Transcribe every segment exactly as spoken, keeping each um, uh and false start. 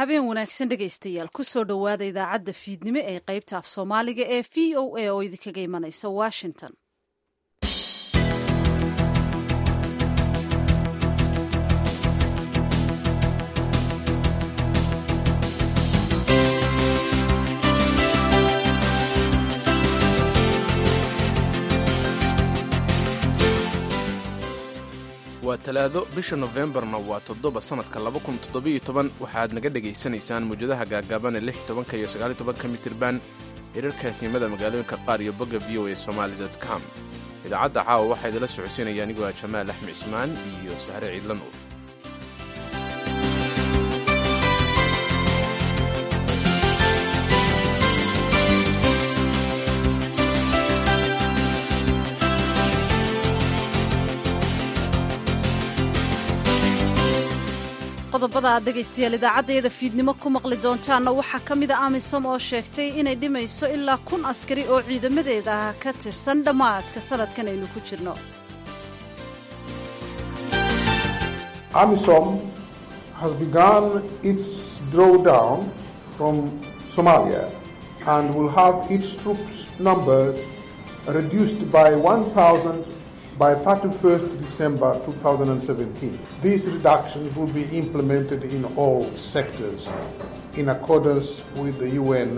Habeen wanaagsan dhegaystayaal, kusoo dhowaada idaacadda fiidnimo ee qaybta af Soomaaliga ee V O A oo idinkaga imanaysa Washington. Waa Talaado, bisha Nofembarna waa toddoba, sannadka laba kun toddobiyo toban. Waxaad naga dhegaysanaysaan muwjadaha gaagaaban ee lix tobanka iyo sagaal tobanka mitirban, hirarka fiimada magaalooyinka qaar iyo bogga V O A Somali com. Idaacadda caawa waxaa idinla socodsiinaya anigoo ah Jamaal Axmed Cismaan iyo Sahre Ciidla Nuur. Qodobada aad dhegaystayaal idaacaddayada fiidnimo ku maqli doontaanna waxaa ka mida AMISOM oo sheegtay inay dhimayso ilaa kun askari oo ciidamadeeda ah ka tirsan dhammaadka sanadkan aynu ku jirno. AMISOM has begun its drawdown from Somalia and will have its troops numbers reduced by one thousand by thirty-first December twenty seventeen. These reductions will be implemented in all sectors in accordance with the U N.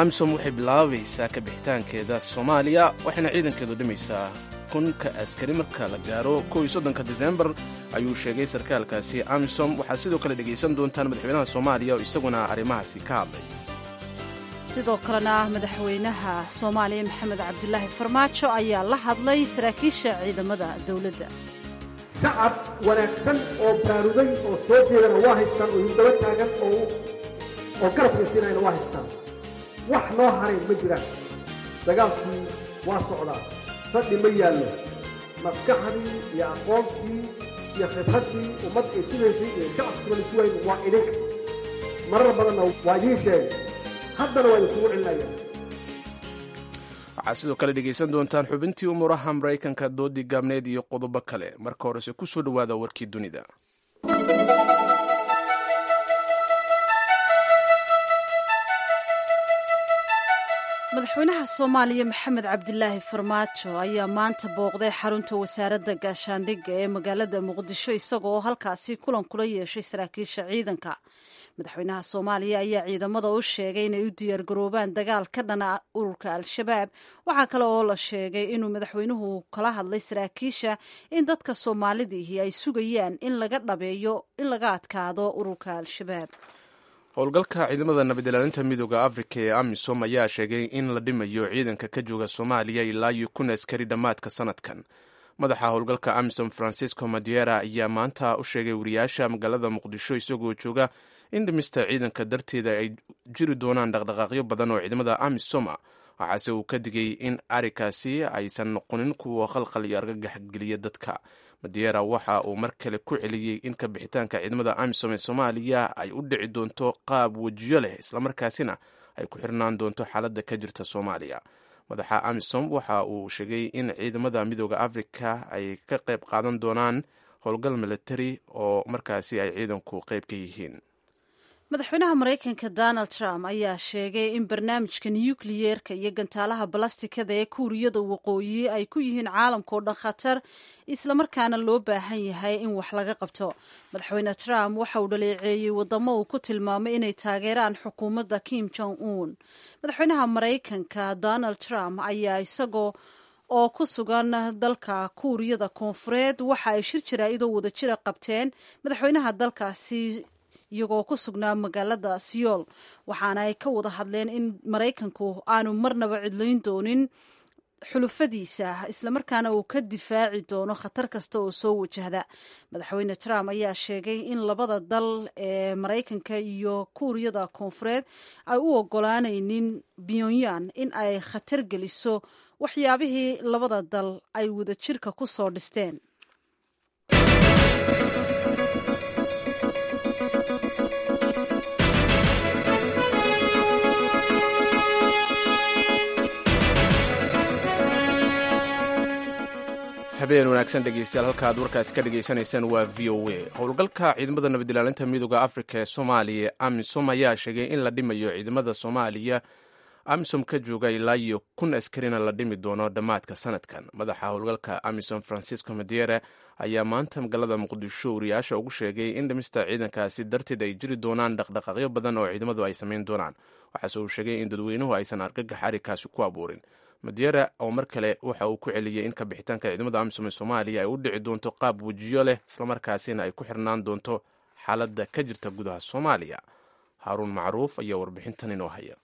AMISOM waxay bilaabaysaa ka bixitaankeeda Soomaaliya, waxayna ciidankeedu dhimaysaa kunka askari marka la gaaro kow iyo soddonka Disembar, ayuu sheegay sarkaalkaasi AMISOM. Waxaad sidoo kale dhegaysan doontaan madaxweynaha Soomaaliya oo isaguna arrimahaasi ka hadlay. Sidoo kalena madaxweynaha Soomaaliya Maxamed Cabdilaahi Farmaajo ayaa la hadlay saraakiisha ciidamada dowladda. Shacab wanaagsan oo baarugay oo soo jeedana waa haystaan, oo idin daba taagan oo oo garabka siinayana waa haystaan. Wax noo haray ma jiraan. Dagaalkii waa socdaa, fadhi ma yaallo. Maskaxdii iyo aqoontii iyo khibraddii ummad ay sugaysay iyo shacabka sugan sugayn waa idinka. Marar badanna waa idiin sheegay, haddana waa idinkugu celinayaan. Waxaad sidoo kale dhegaysan doontaan xubintii umuuraha Maraykanka, doodii gaabneed iyo qodobo kale. Marka horese ku soo dhowaada warkii dunida. Madaxweynaha Soomaaliya Maxamed Cabdilaahi Farmaajo ayaa maanta booqday xarunta wasaaradda gaashaandhigga ee magaalada Muqdisho, isagoo halkaasi kulan kula yeeshay saraakiisha ciidanka. Madaxweynaha Soomaaliya ayaa ciidamada u sheegay inay u diyaargaroobaan dagaal ka dhana ururka Al-Shabaab. Waxaa kale oo la sheegay inuu madaxweynuhu kala hadlay saraakiisha in dadka Soomaalidiihi ay sugayaan in laga dhabeeyo in laga adkaado ururka Al-Shabaab. Howlgalka ciidamada nabadilaalinta Midooda Afrika ee AMISOM ayaa sheegay in la dhimayo ciidanka ka jooga Soomaaliya ilaa iyo kun askari dhammaadka sanadkan. Madaxa howlgalka AMISOM Francisco Madiera ayaa maanta u sheegay wariyaasha magaalada Muqdisho isagoo jooga in dhimista ciidanka darteeda ay jiri doonaan dhaqdhaqaaqyo badan oo ciidamada AMISOM ah. Waxaase uu ka digay in arrinkaasi aysan noqonin kuwa khalkhal iyo argagax geliya dadka. Madiera waxa uu mar kale ku celiyey in ka bixitaanka ciidamada AMISOM ee Soomaaliya ay u dhici doonto qaab wejiyo leh, islamarkaasina ay ku xirnaan doonto xaaladda ka jirta Soomaaliya. Madaxa AMISOM waxa uu sheegay in ciidamada Midooda Afrika ay ka qayb qaadan doonaan howlgal militari oo markaasi ay ciidanku qayb ka yihiin. Madaxweynaha Maraykanka Donald Trump ayaa sheegay in barnaamijka nukliyeerka iyo gantaalaha balastikada ee Kuuriyada Waqooyi ay ku yihiin caalamka oo dhan khatar, islamarkaana loo baahan yahay in wax laga qabto. Madaxweyne Trump waxa uu dhaleeceeyey wadamo uu ku tilmaamay inay taageeraan xukuumadda Kim Jong Un. Madaxweynaha Maraykanka Donald Trump ayaa isagoo oo ku sugan dalka Kuuriyada Koonfureed waxa ay shir jaraa'idoo wadajira qabteen madaxweynaha dalkaasi iyagoo ku sugnaa magaalada Siyool, waxaana ay ka wada hadleen in Maraykanku aanu marnaba cidlayn doonin xulufadiisa, islamarkaana uu ka difaaci doono khatar kasta oo soo wajahda. Madaxweyne Trump ayaa sheegay in labada dal ee Maraykanka iyo Kuuriyada Koonfureed ay u ogolaanaynin Pyongyang in ay khatar geliso waxyaabihii labada dal ay wadajirka ku soo dhisteen. Habeen wanaagsan dhegeystayaal, halka aad warkaasi ka dhegaysanaysaan waa V O A. Howlgalka ciidamada nabadilaalinta midooda Afrika ee Soomaaliya AMISOM ayaa sheegay in la dhimayo ciidamada Soomaaliya AMISOM ka jooga ilaa iyo kun askarina la dhimi doono dhammaadka sanadkan. Madaxa howlgalka AMISOM Francisco Madiere ayaa maanta magaalada Muqdisho wariyaasha ugu sheegay in dhimista ciidankaasi darteed ay jiri doonaan dhaqdhaqaaqyo badan oo ciidamadu ay samayn doonaan. Waxaase uu sheegay in dadweynuhu aysan argagax arrinkaasi ku abuurin. Madiere oo mar kale waxa uu ku celiyey in kabixitaanka ciidamada AMISOM ee Soomaaliya ay u dhici doonto qaab wejiyo leh, islamarkaasina ay ku xirnaan doonto xaaladda ka jirta gudaha Soomaaliya. Haaruun Macruuf ayaa warbixintan inoo haya.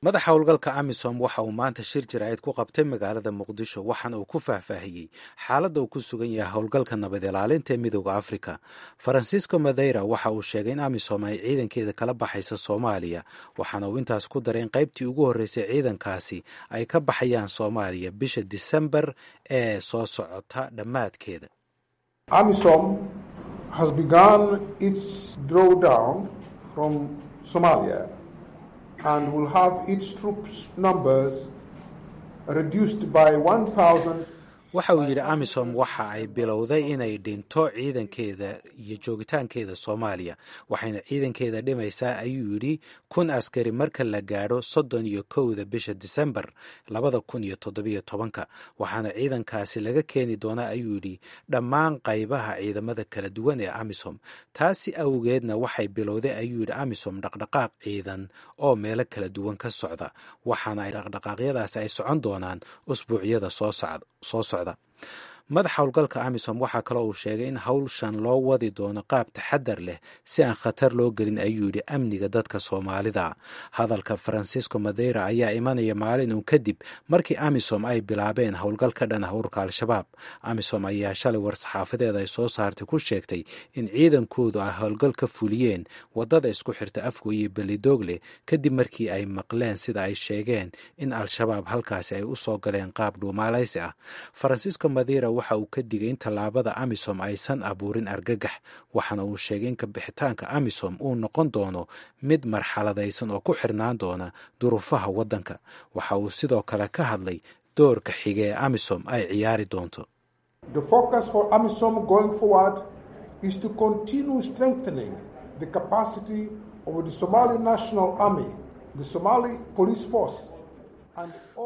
Madaxa howlgalka AMISOM waxa uu maanta shir jaraa'id ku qabtay magaalada Muqdisho, waxaana uu ku faahfaahiyey xaaladda uu ku sugan yahay howlgalka nabad ilaalinta ee midooda Afrika. Francisco Madeira waxa uu sheegay in AMISOM ay ciidankeeda kala baxaysa Soomaaliya, waxaana uu intaas ku daray in qaybtii ugu horreysay ciidankaasi ay ka baxayaan Soomaaliya bisha Disembar ee soo socota dhammaadkeeda. AMISOM has begun its drawdown from Somalia and will have its troops numbers reduced by one thousand. Waxa uu yidhi AMISOM waxa ay bilowday inay dhinto ciidankeeda iyo joogitaankeeda Soomaaliya, waxayna ciidankeeda dhimaysaa ayuu yidhi kun askari marka la gaadho soddon iyo kowda bisha Disembar labada kun iyo toddobiyo tobanka, waxaana ciidankaasi laga keeni doonaa ayuu yidhi dhammaan qaybaha ciidamada kala duwan ee AMISOM. Taasi awgeedna waxay bilowday ayuu yidhi AMISOM dhaqdhaqaaq ciidan oo meelo kala duwan ka socda, waxaana ay dhaqdhaqaaqyadaasi ay socon doonaan usbuucyada soo socda soo socda. Madaxa howlgalka AMISOM waxaa kaloo uu sheegay in howlshan loo wadi doono qaab taxadar leh si aan khatar loo gelin ayuu yidhi amniga dadka Soomaalida. Hadalka Francisco Madeira ayaa imanaya maalin uun kadib markii AMISOM ay bilaabeen howlgal ka dhan ah ururka Al-Shabaab. AMISOM ayaa shalay war-saxaafadeed ay soo saartay ku sheegtay in ciidankoodu ay howlgal ka fuliyeen wadada isku xirta Afgo iyo Belidoogle kadib markii ay maqleen sida ay sheegeen in Al-Shabaab halkaasi ay u soo galeen qaab dhuumaalaysi ah. Francisco Madeira waxa uu ka digay in tallaabada AMISOM aysan abuurin argagax, waxaana uu sheegay in kabixitaanka AMISOM uu noqon doono mid marxaladaysan oo ku xirnaan doona duruufaha waddanka. Waxa uu sidoo kale ka hadlay doorka xige ee AMISOM ay ciyaari doonto. The focus for AMISOM going forward is to continue strengthening the capacity of the Somali National Army, the Somali Police Force.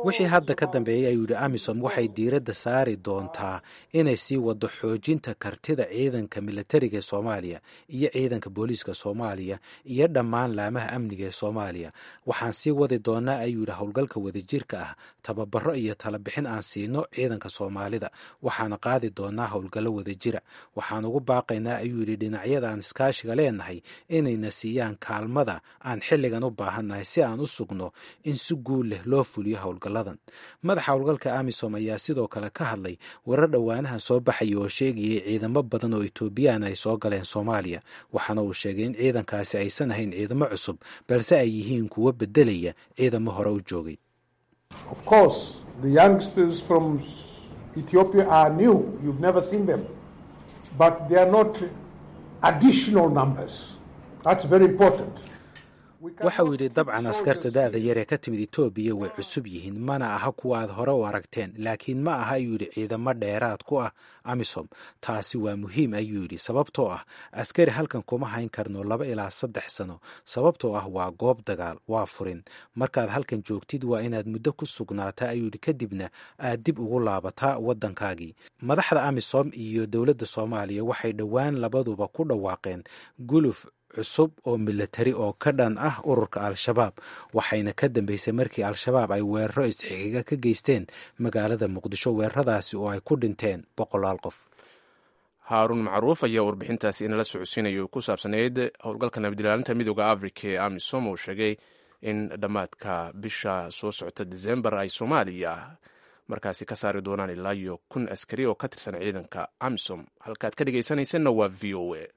Wixii hadda ka dambeeyey ayuu yidhi AMISOM waxay diiradda saari doontaa inay sii wado xoojinta kartida ciidanka militariga ee Soomaaliya iyo ciidanka booliiska Soomaaliya iyo dhammaan laamaha amniga ee Soomaaliya. Waxaan sii wadi doonaa ayuu yidhi howlgalka wadajirka ah, tababaro iyo talabixin aan siino ciidanka Soomaalida, waxaana qaadi doonaa howlgallo wadajira. Waxaan ugu baaqaynaa ayuu yidhi dhinacyada aan iskaashiga leenahay inayna siiyaan kaalmada aan xilligan u baahannahay si aan u sugno in si guul leh loo fuliyo howlgalladan. Madaxa howlgalka AMISOM ayaa sidoo kale ka hadlay warar dhowaanahan soo baxaya oo sheegayay ciidamo badan oo Etoobiyaan ay soo galeen Soomaaliya, waxaana uu sheegay in ciidankaasi aysan ahayn ciidamo cusub balse ay yihiin kuwo bedelaya ciidamo hore u joogay. Of course, the youngsters from Ethiopia are new. You've never seen them. But they are not additional numbers. That's very important. Waxa uu yidhi dabcan askarta da'da yar ee ka timid Etoobiya way cusub yihiin, mana aha kuwa aad hore u aragteen, laakiin ma aha ayuu yidhi ciidamo dheeraad ku ah AMISOM. Taasi waa muhiim ayuu yidhi, sababtoo ah askari halkan kuma hayn karno laba ilaa saddex sano, sababtoo ah waa goob dagaal, waa furin. Markaad halkan joogtid waa inaad muddo ku sugnaataa ayuu yidhi, kadibna aad dib ugu laabataa waddankaagii. Madaxda AMISOM iyo dowladda Soomaaliya waxay dhowaan labaduba ku dhawaaqeen guluf cusub oo militari oo ka dhan ah ururka Al-Shabaab, waxayna ka dambeysay markii Al-Shabaab ay weeraro isxiga ka geysteen magaalada Muqdisho, weeraradaasi oo ay ku dhinteen boqolaal qof. Haaruun Macruuf ayaa warbixintaasi inala socodsiinaya ku saabsanayd howlgalka nabadilaalinta midooda Afrika ee AMISOM oo sheegay in dhammaadka bisha soo socota Disembar ay Soomaaliya markaasi ka saari doonaan ilaa iyo kun askari oo ka tirsan ciidanka AMISOM. Halkaad ka dhegaysanaysanna waa V O A.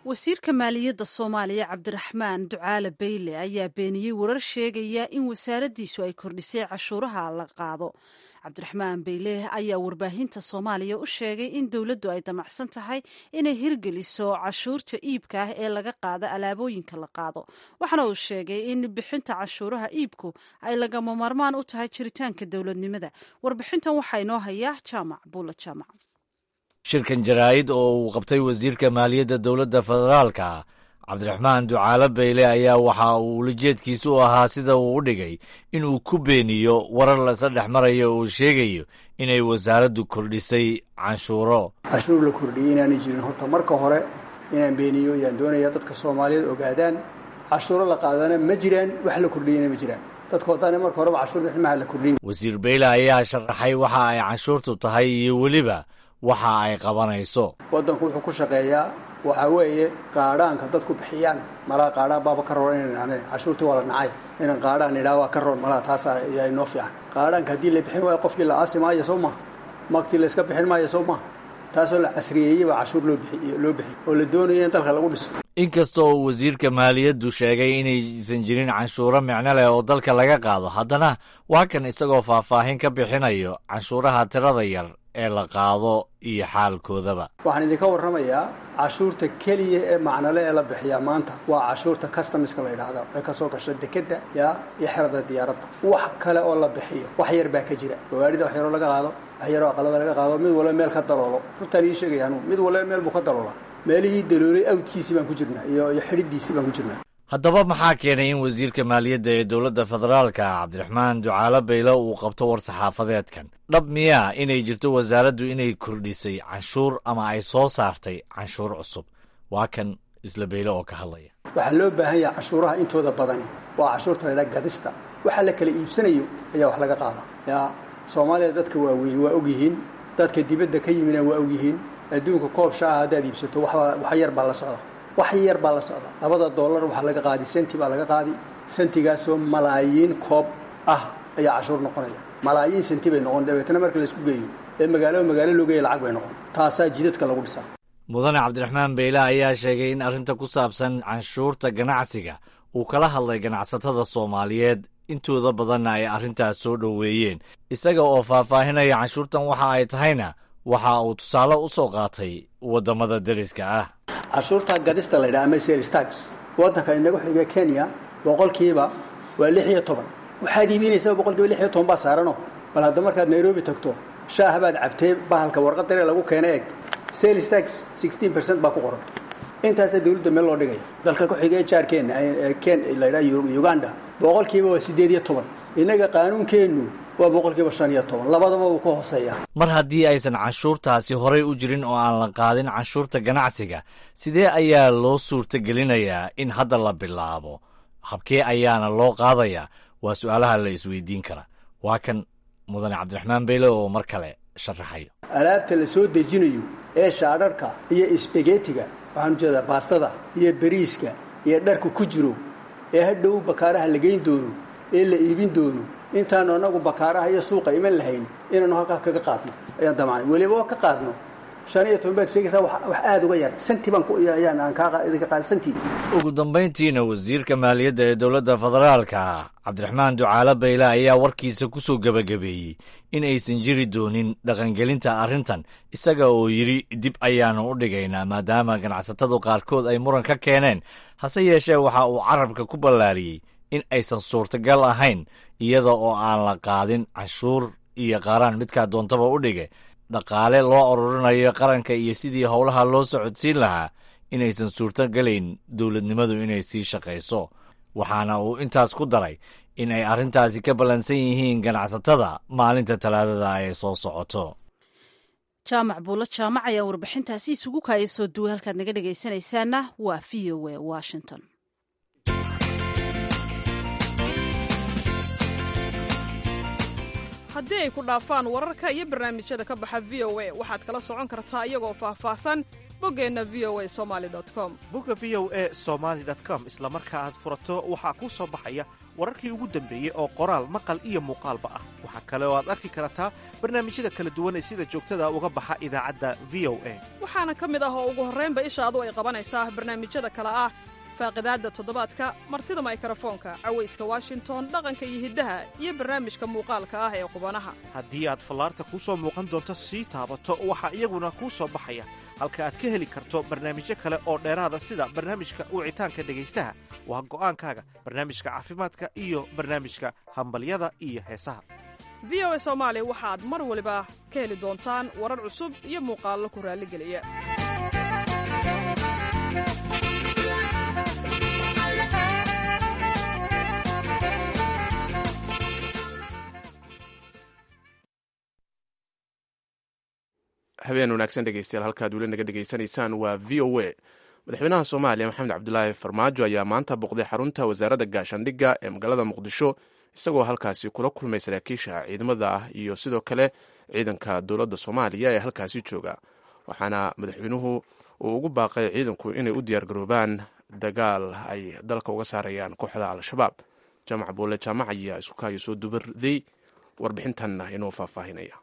Wasiirka maaliyadda Soomaaliya Cabdiraxmaan Ducaale Beyle ayaa beeniyey warar sheegaya in wasaaraddiisu ay kordhisay cashuuraha la qaado. Cabdiraxmaan Beyle ayaa warbaahinta Soomaaliya u sheegay in dowladdu ay damacsan tahay inay hirgeliso cashuurta iibka ah ee laga qaado alaabooyinka la qaado, waxaana uu sheegay in bixinta cashuuraha iibku ay lagama maarmaan u tahay jiritaanka dowladnimada. Warbixintan waxaa inoo hayaa Jaamac Buula Jaamac. Shirkan jaraa'id oo uu qabtay wasiirka maaliyadda dowladda federaalka Cabdiraxmaan Ducaale Beyle ayaa waxa uu ulajeedkiisu u ahaa, sida uu u dhigay, inuu ku beeniyo warar lasa dhex marayo oo sheegayo inay wasaaraddu kordhisay canshuuro. Cashuur la kordhiyey inaanay jirin horta marka hore inaan beeniyo ayaan doonaya, dadka Soomaaliyeed ogaadaan cashuuro la qaadana ma jiraan, wax la kordhiyeyna ma jiraan. Dadka wadaana marka horeba cashuur bixin maha la kordhin. Wasiir Beyle ayaa sharaxay waxa ay canshuurtu tahay iyo weliba waxa ay qabanayso. Waddanku wuxuu ku shaqeeyaa waxaa weeye qaadhaanka dadku bixiyaan. Malaha qaadhaan baaba ka roon inaan ane cashuurtii waa la nacay, inaan qaadhaan idhaa waa ka roon malaha, taas ayaa inoo fiican. Qaadhaanka haddii la bixin waayo qofkii la aasi maayo, soo maha? Magtii la iska bixin maayo, soo maha? Taasoo la casriyeeyey baa cashuur loo bixiy loo bixiy oo la doonayo in dalka lagu dhiso. Inkasta oo wasiirka maaliyaddu sheegay inaysan jirin canshuuro micno leh oo dalka laga qaado, haddana waa kan isagoo faahfaahin ka bixinayo canshuuraha tirada yar ee la qaado iyo xaalkoodaba. Waxaan idinka warramayaa cashuurta keliya ee macnale ee la bixiyaa maanta waa cashuurta customiska la yidhaahda ee kasoo gasha dekedda yaa iyo xerada diyaaradda. Wax kale oo la bixiyo wax yar baa ka jira. Gawaarida wax yaroo laga qaado, wax yaroo aqalada laga qaado, mid walba meel ka daloolo. Runtaan ii sheegaya anugu, mid walba meel buu ka daloolaa. Meelihii daloolay awdkiisii baan ku jirnaa iyo iyo xidhidiisii baan ku jirnaa. Haddaba maxaa keenay in wasiirka maaliyadda ee dowladda federaalka Cabdiraxmaan Ducaale Beyle uu qabto war saxaafadeedkan? Dhab miyaa inay jirto wasaaraddu inay kordhisay canshuur ama ay soo saartay canshuur cusub? Waa kan isla Beyle oo ka hadlaya. Waxaa loo baahan yahay cashuuraha intooda badani waa cashuurta la ydhaha gadista. Waxa la kala iibsanayo ayaa wax laga qaada. Yaa Soomaaliya dadka waaweyn waa ogyihiin, dadka dibadda ka yimina waa ogyihiin. Adduunka koob shaaha haddaad iibsato waxba wax yar baa la socda, wax yar baa la socda. Labada dollar waxaa laga qaadi senti baa laga qaadi, sentigaasoo malaayiin koob ah ayaa cashuur noqonaya. Malaayiin senti bay noqon, dabeetana marka la isku geeyo ee magaalo magaalo loo geeyo lacag bay noqon. Taasaa jidadka lagu dhisaa. Mudane Cabdiraxmaan Beyle ayaa sheegay in arrinta ku saabsan canshuurta ganacsiga uu kala hadlay ganacsatada Soomaaliyeed, intooda badanna ay arrintaas soo dhoweeyeen. Isaga oo faahfaahinaya canshuurtan waxa ay tahayna waxa uu tusaale u soo qaatay waddamada deriska ah. Cashuurta gadista la yidhaha ama sales tax waddanka inagu xiga Kenya boqolkiiba waa lix iyo toban. Waxaad iibinaysaa boqolkiiba lix iyo toban baa saarano. Bal hadda markaad Nairobi tagto shaah baad cabtee, bahalka warqad daree lagu keena eg, sales tax sixteen percent baa ku qoran. Intaasaa dawladda meel loo dhigaya. Dalka ku xigee jaarkeenna ken la yidhaha Uganda boqolkiiba waa siddeed iyo toban. Innaga qaanuunkeennu waa boqolkiiba shan iyo toban, labadaba wuu ka hooseeyaa. Mar haddii aysan canshuurtaasi horay u jirin oo aan la qaadin canshuurta ganacsiga, sidee ayaa loo suurtagelinayaa in hadda la bilaabo? Habkee ayaana loo qaadayaa? Waa su'aalaha la isweydiin kara. Waa kan mudane Cabdiraxmaan Beyle oo mar kale sharaxayo. Alaabta la soo dejinayo ee shaadharka iyo isbegetiga, waxaan ujeedaa baastada iyo beriiska iyo dharka ku jiro, ee hadhow bakaaraha la geyn doono ee la iibin doono, intaanu annagu bakaaraha iyo suuqa iman lahayn inaanu halkaa kaga qaadno ayaan damacnay. Weliba oo ka qaadno shan iyo toban baad sheegaysaa, wax aada uga yar santi baan ayaan aan kaa idinka qaad santi. Ugu dambayntiina wasiirka maaliyadda ee dowladda federaalka Cabdiraxmaan Ducaale Beyle ayaa warkiisa ku soo gebagabeeyey in aysan jiri doonin dhaqangelinta arrintan, isaga oo yidhi dib ayaanu u dhigaynaa maadaama ganacsatadu qaarkood ay muran ka keeneen. Hase yeeshee waxa uu carabka ku ballaariyey in aysan suurtagal ahayn iyada oo aan la qaadin canshuur iyo qaaraan midkaa doontaba u dhige dhaqaale loo ururinayo qaranka iyo sidii howlaha loo socodsiin lahaa inaysan suurtogelayn dowladnimadu inay sii shaqayso. Waxaana uu intaas ku daray in ay arrintaasi ka ballansan yihiin ganacsatada maalinta Talaadada ay soo socoto. Jaamac Buulo Jaamac ayaa warbixintaasi isugu kaaya soo duway. Halkaad naga dhegaysanaysaana waa V O A Washington. Haddii ay ku dhaafaan wararka iyo barnaamijyada ka baxa V O a, waxaad kala socon kartaa iyagoo faahfaahsan boggeenna V O A somali com. Bogga V O A somaali com isla marka aad furato waxaa kuu soo baxaya Wararkii ugu dambeeyey oo qoraal, maqal iyo muuqaalba ah. Waxaa kale oo aad arki kartaa barnaamijyada kala duwan ee sida joogtada uga baxa idaacadda V O A. Waxaana ka mid ah oo ugu horraynba ishaadu ay qabanaysaa barnaamijyada kale ah: Faaqidaadda Toddobaadka, Martida Maykarafoonka, Cawayska Washington, Dhaqanka iyo Hiddaha iyo barnaamijka muuqaalka ah ee Qubanaha. Haddii aad fallaarta kuu soo muuqan doonto sii taabato, waxaa iyaguna kuu soo baxaya halka aad ka heli karto barnaamijyo kale oo dheeraada, sida barnaamijka wicitaanka dhegaystaha, Waa Go'aankaaga, barnaamijka caafimaadka iyo barnaamijka Hambalyada iyo Heesaha. V O A Soomaali waxaad mar waliba ka heli doontaan warar cusub iyo muuqaallo ku raalligeliya. Habeen wanaagsan, dhegeystayaal. Halkaad weli naga dhegeysanaysaan waa V O A. Madaxweynaha Soomaaliya Maxamed Cabdulaahi Farmaajo ayaa maanta booqday xarunta Wasaaradda Gaashaandhigga ee magaalada Muqdisho, isagoo halkaasi kula kulmay saraakiisha ciidamada ah iyo sidoo kale ciidanka dowladda Soomaaliya ee halkaasi jooga. Waxaana madaxweynuhu uu ugu baaqay ciidanku inay u diyaargaroobaan dagaal ay dalka uga saarayaan kooxda Al-Shabaab. Jaamac Buule Jaamac ayaa isku kaayo soo dubarday warbixintanna inoo faahfaahinaya.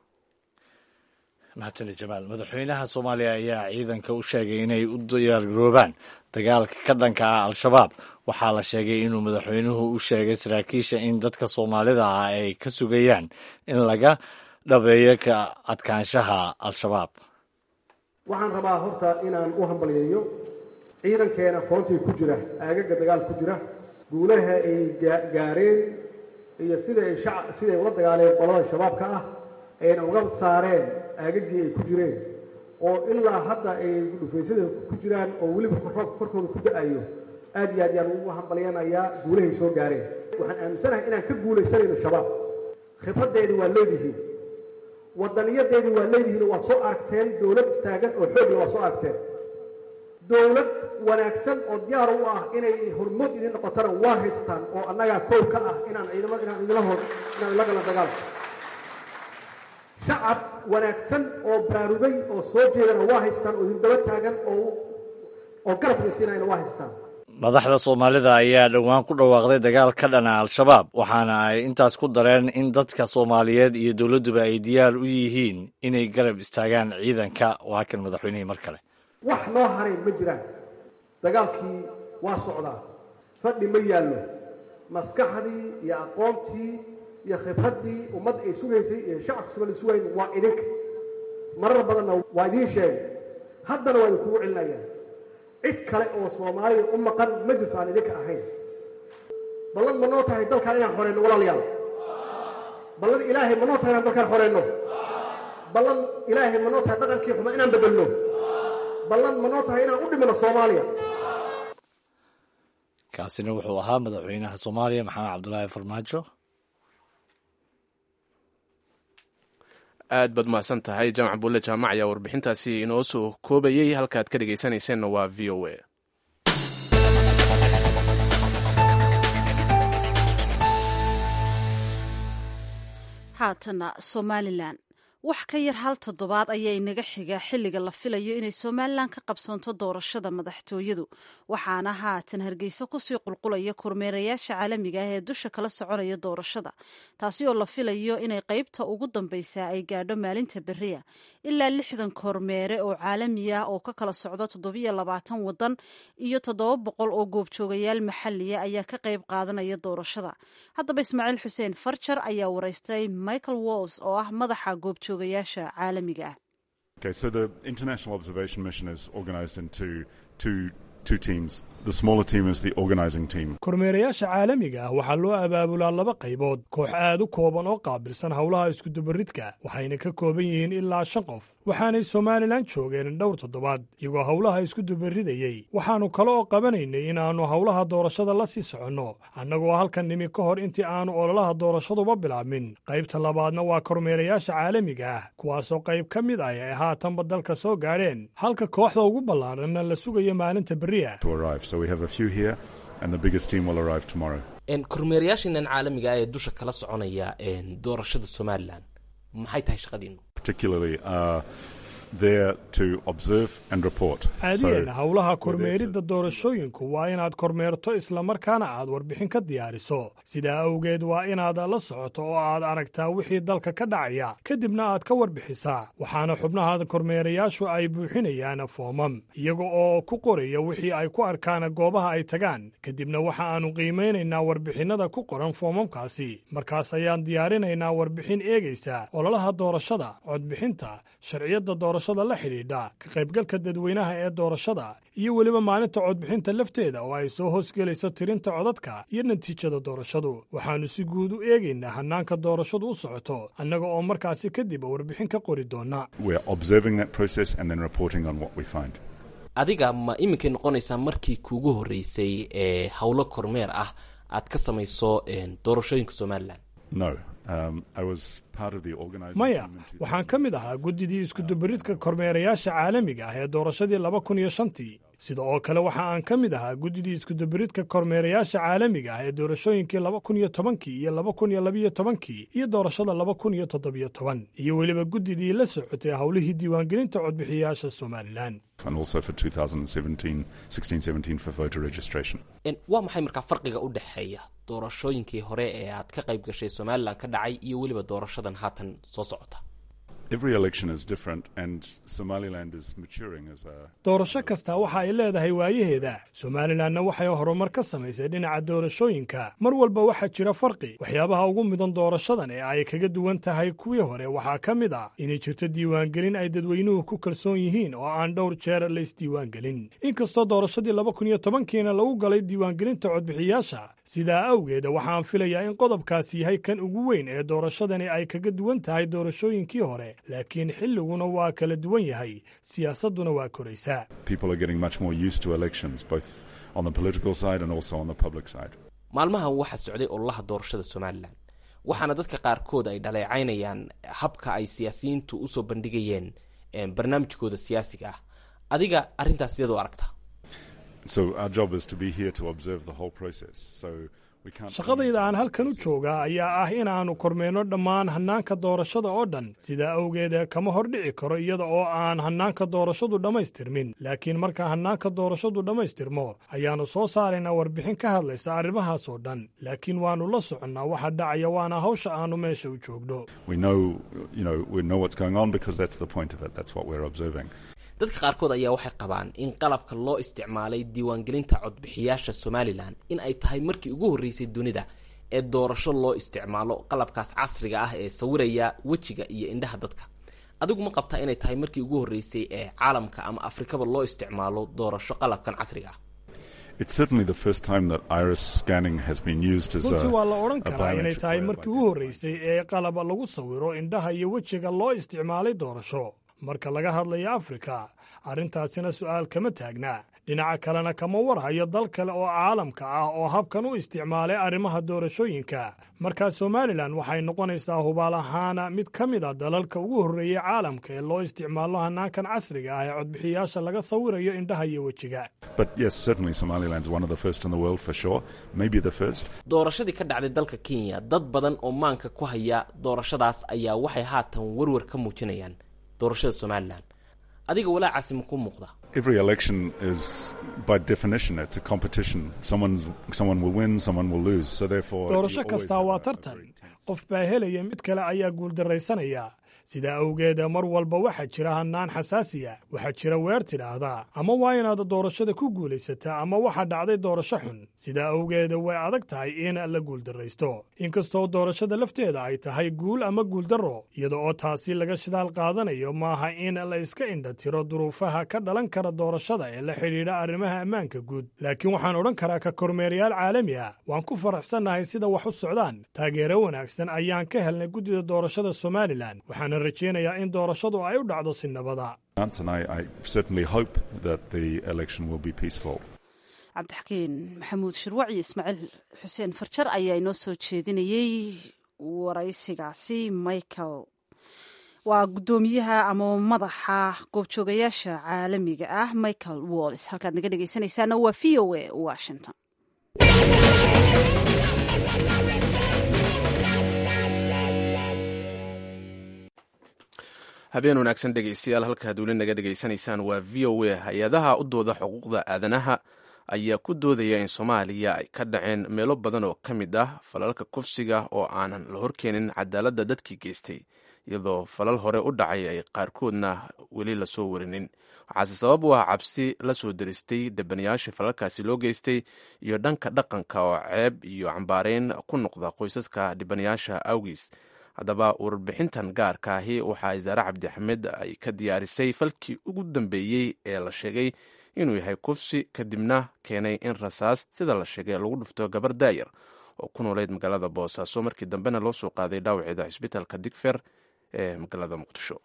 Mahadsanid, Jamaal. Madaxweynaha Soomaaliya ayaa ciidanka u sheegay inay u diyaargaroobaan dagaalka ka dhanka ah Al-Shabaab. Waxaa la sheegay inuu madaxweynuhu u sheegay saraakiisha in dadka Soomaalida ah ay ka sugayaan in laga dhabeeyo ka adkaanshaha Al-Shabaab. Waxaan rabaa horta inaan u hambalyeeyo ciidankeena foontii ku jira, aagaga dagaal ku jira, guulaha ay gaareen iyo sida ay siday ula dagaaleen qolada Shabaabka ah, ayna uga saareen aagagii ay ku jireen, oo ilaa hadda ay dhufaysyada ku jiraan oo weliba roobka korkooda ku da'ayo. Aad iyo aad yaan ugu hambalyanayaa guulahay soo gaareen. Waxaan aaminsanahay inaan ka guulaysanayno Shabaab. Khibraddeedii waa leedihiin, wadaniyadeedii waa leedihiin oo waad soo aragteen. Dowlad istaagan oo xoogle waad soo aragteen. Dowlad wanaagsan oo diyaar u ah inay hormood idin noqotana waa haystaan, oo annagaa koow ka ah inaan ciidamada inaan idinla hor inaan la gala dagaalka. Shacab wanaagsan oo baraarugay oo soo jeedana waa haystaan, oo idin daba taagan oo oo garab idin siinayana waa haystaan. Madaxda Soomaalida ayaa dhowaan ku dhawaaqday dagaal ka dhana Al-Shabaab, waxaana ay intaas ku dareen in dadka Soomaaliyeed iyo dowladduba ay diyaar u yihiin inay garab istaagaan ciidanka. Waa kan madaxweynihii mar kale. Wax noo haray ma jiraan. Dagaalkii waa socdaa, fadhi ma yaallo. Maskaxdii iyo aqoontii iyo khibraddii ummadda ay sugaysay iyo shacabka Soomaalida sugayn waa idinka. Marar badanna waa idiin sheegay, haddana waa idinkugu celinayaa: cid kale oo Soomaaliya u maqan ma jirto aan idinka ahayn. Ballan ma noo tahay dalkaan inaan xoreyno, walaalayaal? Ballan Ilaahay ma noo tahay inaan dalkaan xoreyno? Ballan Ilaahay ma noo tahay dhaqankii xuma inaan bedelno? Ballan ma noo tahay inaan u dhimano Soomaaliya? Kaasina wuxuu ahaa madaxweynaha Soomaaliya Maxamed Cabdulaahi Farmaajo. Aad baad mahadsan tahay, Jaamac Bulle Jaamac ayaa warbixintaasi inoo soo koobayey. Halkaad ka dhegaysanayseena waa V O A. Haatana Somalilan. Wax ka yar hal toddobaad ayaa inaga xiga xilliga la filayo inay Somalilan ka qabsoonto doorashada madaxtooyadu. Waxaana haatan Hargeysa kusii qulqulaya kormeerayaasha caalamiga ah ee dusha kala soconaya doorashada, taasi oo la filayo inay qeybta ugu dambeysa ay gaadho maalinta beriya. Ilaa lixdan kormeere oo caalami ah oo ka kala socda toddobiyo labaatan wadan iyo toddoba boqol oo goobjoogayaal maxaliya ayaa ka qeyb qaadanaya doorashada. Haddaba, Ismaaciil Xuseen Farjar ayaa wareystay Michael Walls oo ah madaxa goobjoogayaasha caalamiga ah. Okay, so the International Observation Mission is organized into two, two teams. The smaller team is the organizing team. Kormeerayaasha caalamiga ah waxaa loo abaabulaa laba qaybood: koox aad u kooban oo qaabilsan howlaha iskudubaridka, waxayna ka kooban yihiin ilaa shan qof, waxaanay Somalilan joogeen dhowr toddobaad iyagoo howlaha isku dubaridayey. Waxaannu kale oo qabanaynay inaannu howlaha doorashada la sii soconno, annagoo halkan nimi ka hor intii aannu ololaha doorashaduba bilaabmin. Qaybta labaadna waa kormeerayaasha caalamiga ah, kuwaasoo qayb ka mid ah ay haatanba dalka soo gaadheen, halka kooxda ugu ballaadhanna la sugayo maalinta berriya. To arrive. So we have a few here, and the biggest team will arrive tomorrow. Kormeerayaashiinan caalamiga ah ee dusha kala soconaya doorashada Somalilan, maxay tahay shaqadiinu? Particularly uh, there to observe and report. Caadiyan howlaha kormeeridda doorashooyinku waa inaad kormeerto islamarkaana aad warbixin ka diyaariso. Sidaa awgeed waa inaad la socoto oo aad aragtaa wixii dalka ka dhacaya, kadibna aad ka warbixisaa. Waxaana xubnaha kormeerayaashu ay buuxinayaan foomam, iyaga oo ku qoraya wixii ay ku arkaan goobaha ay tagaan. Kadibna waxa aanu qiimaynaynaa warbixinnada ku qoran foomamkaasi. Markaas ayaan diyaarinaynaa warbixin eegaysa ololaha doorashada, codbixinta, sharciyadda doorashada la xidhiidha, ka qaybgalka dadweynaha ee doorashada, iyo weliba maalinta codbixinta lafteeda oo ay soo hoosgelayso tirinta codadka iyo natiijada doorashadu. Waxaannu si guud u eegaynaa hannaanka doorashadu u socoto, annaga oo markaasi kadib warbixin ka qori doona. Adiga ma iminkay noqonaysaa markii kuugu horreysay ee howlo kormeer ah aad ka samayso doorashooyinka Somalilan? Maya, waxaan ka mid ahaa guddidii iskudubaridka kormeerayaasha caalamiga ah ee doorashadii laba kun iyo shantii. Sida oo kale waxa aan ka mid ahaa guddidii iskudubaridka kormeerayaasha caalamiga ah ee doorashooyinkii laba kun iyo tobankii iyo laba kun iyo labiyo tobankii iyo doorashada laba kun iyo toddobiyo toban, iyo weliba guddidii la socotay howlihii diiwaangelinta codbixiyayaasha Somalilan. Waa maxay markaa farqiga u dhexeeya doorashooyinkii hore ee aad ka qayb gashay Somalilan ka dhacay iyo weliba doorashadan haatan soo socota? Doorasho kasta waxa ay leedahay waayaheeda. Somalilanna waxay horumar ka samaysay dhinaca doorashooyinka. Mar walba waxaa jira farqi. Waxyaabaha ugu mudan doorashadan ee ay kaga duwan tahay kuwii hore waxaa ka mid ah inay jirto diiwaangelin ay dadweynuhu ku kalsoon yihiin oo aan dhowr jeer la isdiiwaangelin, inkastoo doorashadii laba kun iyo tobankiina lagu galay diiwaangelinta codbixiyaasha. Sidaa awgeed waxaan filayaa in qodobkaasi yahay kan ugu weyn ee doorashadani ay kaga duwan tahay doorashooyinkii hore, laakiin xilliguna waa kala duwan yahay, siyaasadduna waa koraysaa. Maalmahan waxaa socday ololaha doorashada Somalilan, waxaana dadka qaarkood ay dhaleecaynayaan habka ay siyaasiyiintu usoo bandhigayeen barnaamijkooda siyaasiga ah. Adiga arrintaas sideed u aragtaa? Shaqadayda aan halkan u joogaa ayaa ah inaannu kormeerno dhammaan hannaanka doorashada oo dhan. Sidaa awgeed kama hor dhici karo iyada oo aan hannaanka doorashadu dhammaystirmin, laakiin marka hannaanka doorashadu dhammaystirmo ayaannu soo saaraynaa warbixin ka hadlaysa arrimahaas oo dhan. Laakiin waannu la soconnaa waxa dhacaya, waana hawsha aannu meesha u joogno. Dadka qaarkood ayaa waxay qabaan in qalabka loo isticmaalay diiwaangelinta codbixiyaasha Somalilan in ay tahay markii ugu horreysay dunida ee doorasho loo isticmaalo qalabkaas casriga ah ee sawiraya wejiga iyo indhaha dadka. Adigu ma qabtaa inay tahay markii ugu horreysay ee caalamka ama Afrikaba loo isticmaalo doorasho qalabkan casriga ah? Runtii waa la odhan karaa inay tahay markii ugu horreysay ee qalab lagu sawiro indhaha iyo wejiga loo isticmaalay doorasho. Marka laga hadlayo Afrika, arrintaasina su'aal kama taagna. Dhinaca kalena kama warhayo dal kale oo caalamka ah oo habkan u isticmaalay arrimaha doorashooyinka. Markaa Somalilan waxay noqonaysaa hubaal ahaana mid ka mid a dalalka ugu horreeyey caalamka ee loo isticmaalo hannaankan casriga ah ee codbixiyaasha laga sawirayo indhaha iyo wejiga. Doorashadii ka dhacday dalka Kenya, dad badan oo maanka ku haya doorashadaas ayaa waxay haatan warwar ka muujinayaan doorashada Somalilan. Adiga walaacaasi ma ku muuqda? Doorasho kastaa waa tartan. Qof baa helaya, mid kale ayaa guuldarraysanaya. Sidaa awgeed mar walba waxaa jira hannaan xasaasiya. Waxaa jira weer tidhaahdaa ama waa inaad doorashada ku guulaysataa ama waxaa dhacday doorasho xun. Sidaa awgeed way adag tahay in la guuldarraysto, inkastoo doorashada lafteeda ay tahay guul ama guuldarro. Iyada oo taasi laga shidaal qaadanayo, maaha in la iska indhatiro duruufaha ka dhalan kara doorashada ee la xidhiidha arrimaha ammaanka guud. Laakiin waxaan odhan karaa ka kormeerayaal caalami ah waan ku faraxsannahay sida wax u socdaan. Taageero wanaagsan ayaan ka helnay guddida doorashada Somalilan, waxaana rajeynayaa in doorashadu ay u dhacdo si nabada. Cabdixakiin Maxamuud Shirwac iyo Ismaaciil Xuseen Farjar ayaa inoo soo jeedinayey waraysigaasi. Michael waa guddoomiyaha ama madaxa goobjoogayaasha caalamiga ah Michael Walls. Halkaad naga dhegeysanaysaana waa V O A Washington. Habeen wanaagsan dhegeystayaal, halkaad weli naga dhegeysanaysaan waa V O A. Hay-adaha u dooda xuquuqda aadanaha ayaa ku doodaya in Soomaaliya ay ka dhaceen meelo badan oo ka mid ah falalka kufsiga oo aanan la horkeenin cadaaladda dadkii geystay, iyadoo falal hore u dhacay ay qaarkoodna weli lasoo warinin. Waxaase sabab u ah cabsi la soo deristay debanayaasha falalkaasi loo geystay iyo dhanka dhaqanka oo ceeb iyo cambaareyn ku noqda qoysaska dhibanayaasha awgiis. Haddaba warbixintan gaarka ahi waxaa Isaare Cabdixamed ay ka diyaarisay falkii ugu dambeeyey ee la sheegay inuu yahay kufsi, kadibna keenay in rasaas sida la sheegay lagu dhufto gabar daayar oo ku nooleyd magaalada Boosaaso, markii dambena loo soo qaaday dhaawaceeda cisbitaalka Digfer ee magaalada Muqdisho.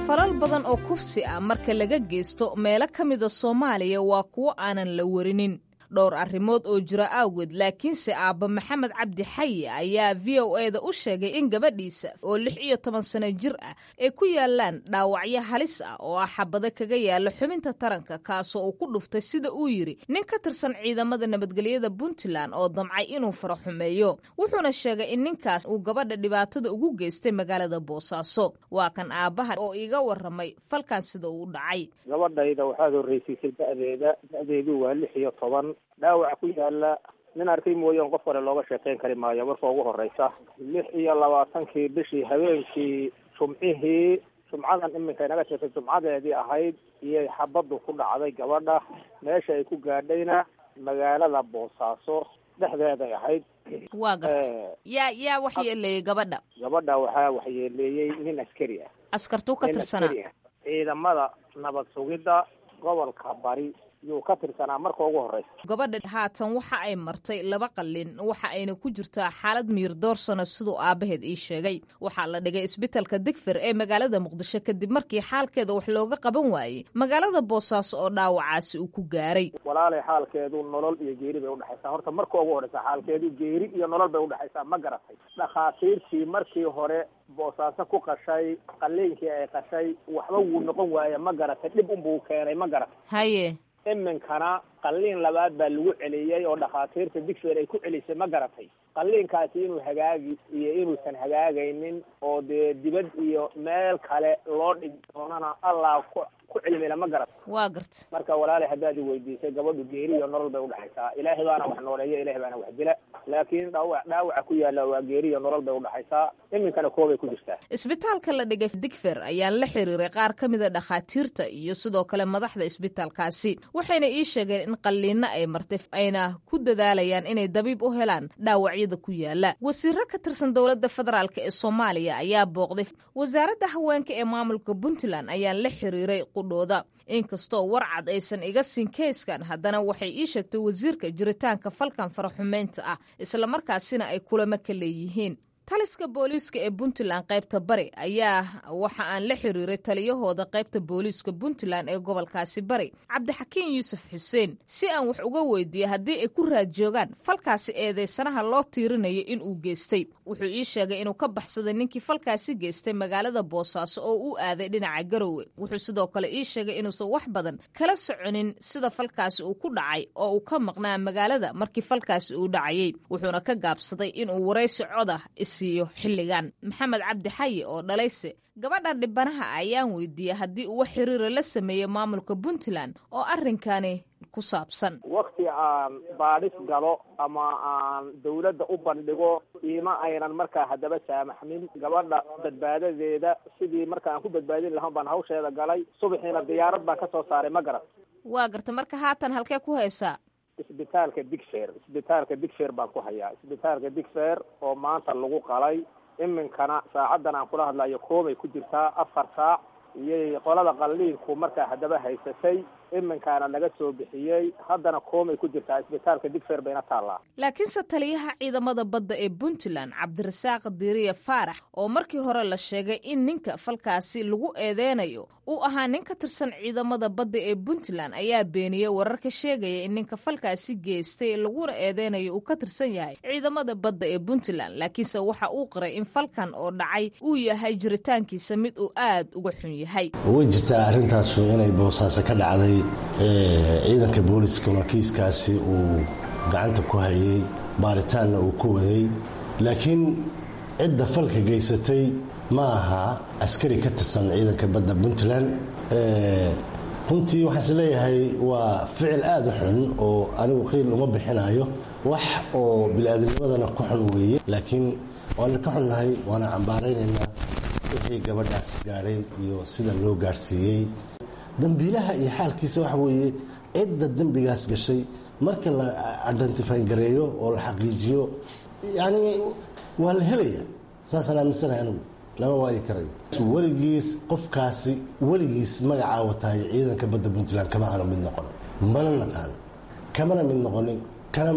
Falal badan oo kufsi ah marka laga geysto meelo ka mida Soomaaliya waa kuwo aanan la warinin dhowr arrimood oo jira awgeed. Laakiinse aabba Maxamed Cabdi Xayi ayaa V O A da u sheegay in gabadhiisa oo lix iyo toban sano jir ah ay ku yaalaan dhaawacyo halis ah oo ah xabado kaga yaala xubinta taranka, kaasoo uu ku dhuftay sida uu yidhi nin ka tirsan ciidamada nabadgelyada Puntland oo damcay inuu faro xumeeyo. Wuxuuna sheegay in ninkaas uu gabadha dhibaatada ugu geystay magaalada Boosaaso. Waa kan aabbaha oo iiga warramay falkan sida uu u dhacay. Gabadhayda waxaad horreysiisay da'deeda, da'deedu waa lix iyo toban. Dhaawac ku yaala nin arkay mooyaan qof kale looga sheekeyn kari maayo. Marka ugu horeysa lix iyo labaatankii bishii habeenkii jumcihii, jumcadan iminka inaga sheegtay jumcadeedii ahayd, iyay xabaddu ku dhacday gabadha. Meesha ay ku gaadhayna magaalada Boosaaso dhexdeeday ahayd. Waa garta, yaa yaa waxyeeleeyey gabadha? Gabadha waxaa waxyeeleeyey nin askari ah. Askartuu ka tirsanaa? Ciidamada nabad sugidda gobolka Bari yuu ka tirsanaa marka ugu horeysa. Gabadha haatan waxa ay martay laba qalin, waxa ayna ku jirtaa xaalad miyir doorsano siduu aabbaheed ii sheegay. Waxaa la dhigay isbitaalka Digfir ee magaalada Muqdisho kadib markii xaalkeeda wax looga qaban waayey magaalada Boosaaso oo dhaawacaasi uu ku gaaray. Walaalay, xaalkeedu nolol iyo geeri bay udhexaysaa. Horta marka ugu horeysa xaalkeedu geeri iyo nolol bay udhexaysaa, ma garatay? Dhakhaatiirtii markii hore Boosaaso ku qashay qaliinkii ay qashay waxba wuu noqon waaye, ma garatay? Dhib unbuu keenay, ma garatay? Haye. Iminkana qalliin labaad baa lagu celiyey oo dhakhaatiirta Digfeer ay ku celisay, ma garatay? Qalliinkaasi inuu hagaagi iyo inuusan hagaagaynin oo dee dibad iyo meel kale loo dhigi doonana Allah ku ku cilmila, ma garatay? Waa garta. Marka walaalay, haddaad i weydiisay, gabadhu geeri iyo nolol bay udhexaysaa. Ilaahay baana wax nooleeya, Ilaahay baana wax dila, laakiin dhaawac dhaawaca ku yaalla waa geeri iyo nolol bay udhexaysaa. Iminkana koobay ku jirtaa. Isbitaalka la dhigay Digfer ayaan la xiriiray qaar ka mida dhakhaatiirta iyo sidoo kale madaxda isbitaalkaasi, waxayna ii sheegeen in qalliinno ay martay ayna ku dadaalayaan inay dabiib u helaan dhaawacyada ku yaala. Wasiiro ka tirsan dowladda federaalk ee Soomaaliya ayaa booqday. Wasaaradda haweenka ee maamulka Puntland ayaan la xiriiray qudhooda. Inkastoo warcad aysan iga siin keyskan, haddana waxay ii sheegtay wasiirka jiritaanka falkan faraxumeynta ah, islamarkaasina ay kulamo ka leeyihiin. Taliska booliiska ee Puntland qaybta Bari ayaa waxa aan la xiriiray taliyahooda qaybta booliiska Puntland ee gobolkaasi Bari, Cabdixakiin Yuusuf Xuseen, si aan wax uga weydiiyo haddii ay ku raad joogaan falkaasi eedeysanaha loo tiirinayo inuu geystay. Wuxuu ii sheegay inuu ka baxsaday ninkii falkaasi geystay magaalada Boosaaso oo u aaday dhinaca Garowe. Wuxuu sidoo kale ii sheegay inuusan wax badan kala soconin sida falkaasi uu ku dhacay oo uu ka maqnaa magaalada markii falkaasi uu dhacayay, wuxuuna ka gaabsaday inuu waraysi coda siiyo xilligan. Maxamed Cabdi Xayi oo dhalayse gabadhan dhibanaha ayaan weydiiyey haddii uu wax xiriira la sameeyey maamulka Puntland oo arrinkani ku saabsan. Wakti aan baadhis galo ama aan dawladda u bandhigo iima aynan markaa haddaba saamaxmin. Gabadha badbaadadeeda sidii marka aan ku badbaadin lahaan baan hawsheeda galay. Subaxiina diyaarad baan ka soo saaray, ma garat? Waa garta. Marka haatan halkee ku haysaa? Isbitaalka Digfeer, isbitaalka Digfeer baan ku hayaa. Isbitaalka Digfeer oo maanta lagu qalay, iminkana saacaddan aan kula hadlayo koobay ku jirtaa, afar saac iyay qolada qalliinku markaa haddaba haysatay, iminkaana laga soo bixiyey, haddana koomay ku jirtaa, isbitaalka Digfeer bayna taallaa. Laakiinse taliyaha ciidamada badda ee Puntland Cabdirasaaq Diiriye Faarax, oo markii hore la sheegay in ninka falkaasi lagu eedeynayo uu ahaa nin ka tirsan ciidamada badda ee Puntland, ayaa beeniyey wararka sheegaya in ninka falkaasi geystay laguna eedeynayo uu ka tirsan yahay ciidamada badda ee Puntland. Laakiinse waxa uu qiray in falkan oo dhacay uu yahay jiritaankiisa mid uu aad uga xun yahay. Way jirtaa arrintaasu inay Boosaaso ka dhacday. Ciidanka booliskuna kiiskaasi uu gacanta ku hayay, baaritaanna uu ku waday. Laakiin cidda falka geysatay ma aha askari ka tirsan ciidanka badda Puntland. Runtii waxaan is leeyahay waa ficil aada u xun oo anigu qiil uma bixinayo, wax oo bili-aadanimadana ku xun weeye. Laakiin waana ka xunnahay, waana cambaaraynaynaa wixii gabadhaas gaadhay iyo sida loo gaadhsiiyey. Dambiilaha iyo xaalkiisa waxa weeye cidda dembigaas gashay marka la identifyn gareeyo oo la xaqiijiyo, yacni waa la helaya. Saasaan aaminsanahay anigu, lama waayi karayo weligiis qofkaasi, weligiis magacaa wataay ciidanka badda Puntland kama aanu mid noqon, mana naqaan, kamana mid noqonin, kana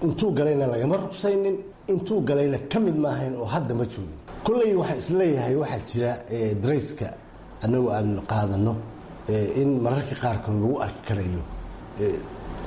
intuu galayna lagama rugsaynin, intuu galayna ka mid maahayn oo hadda ma joogin. Kolley waxaan isleeyahay waxaa jira darayska annagu aan qaadano in mararka qaarkood lagu arki karayo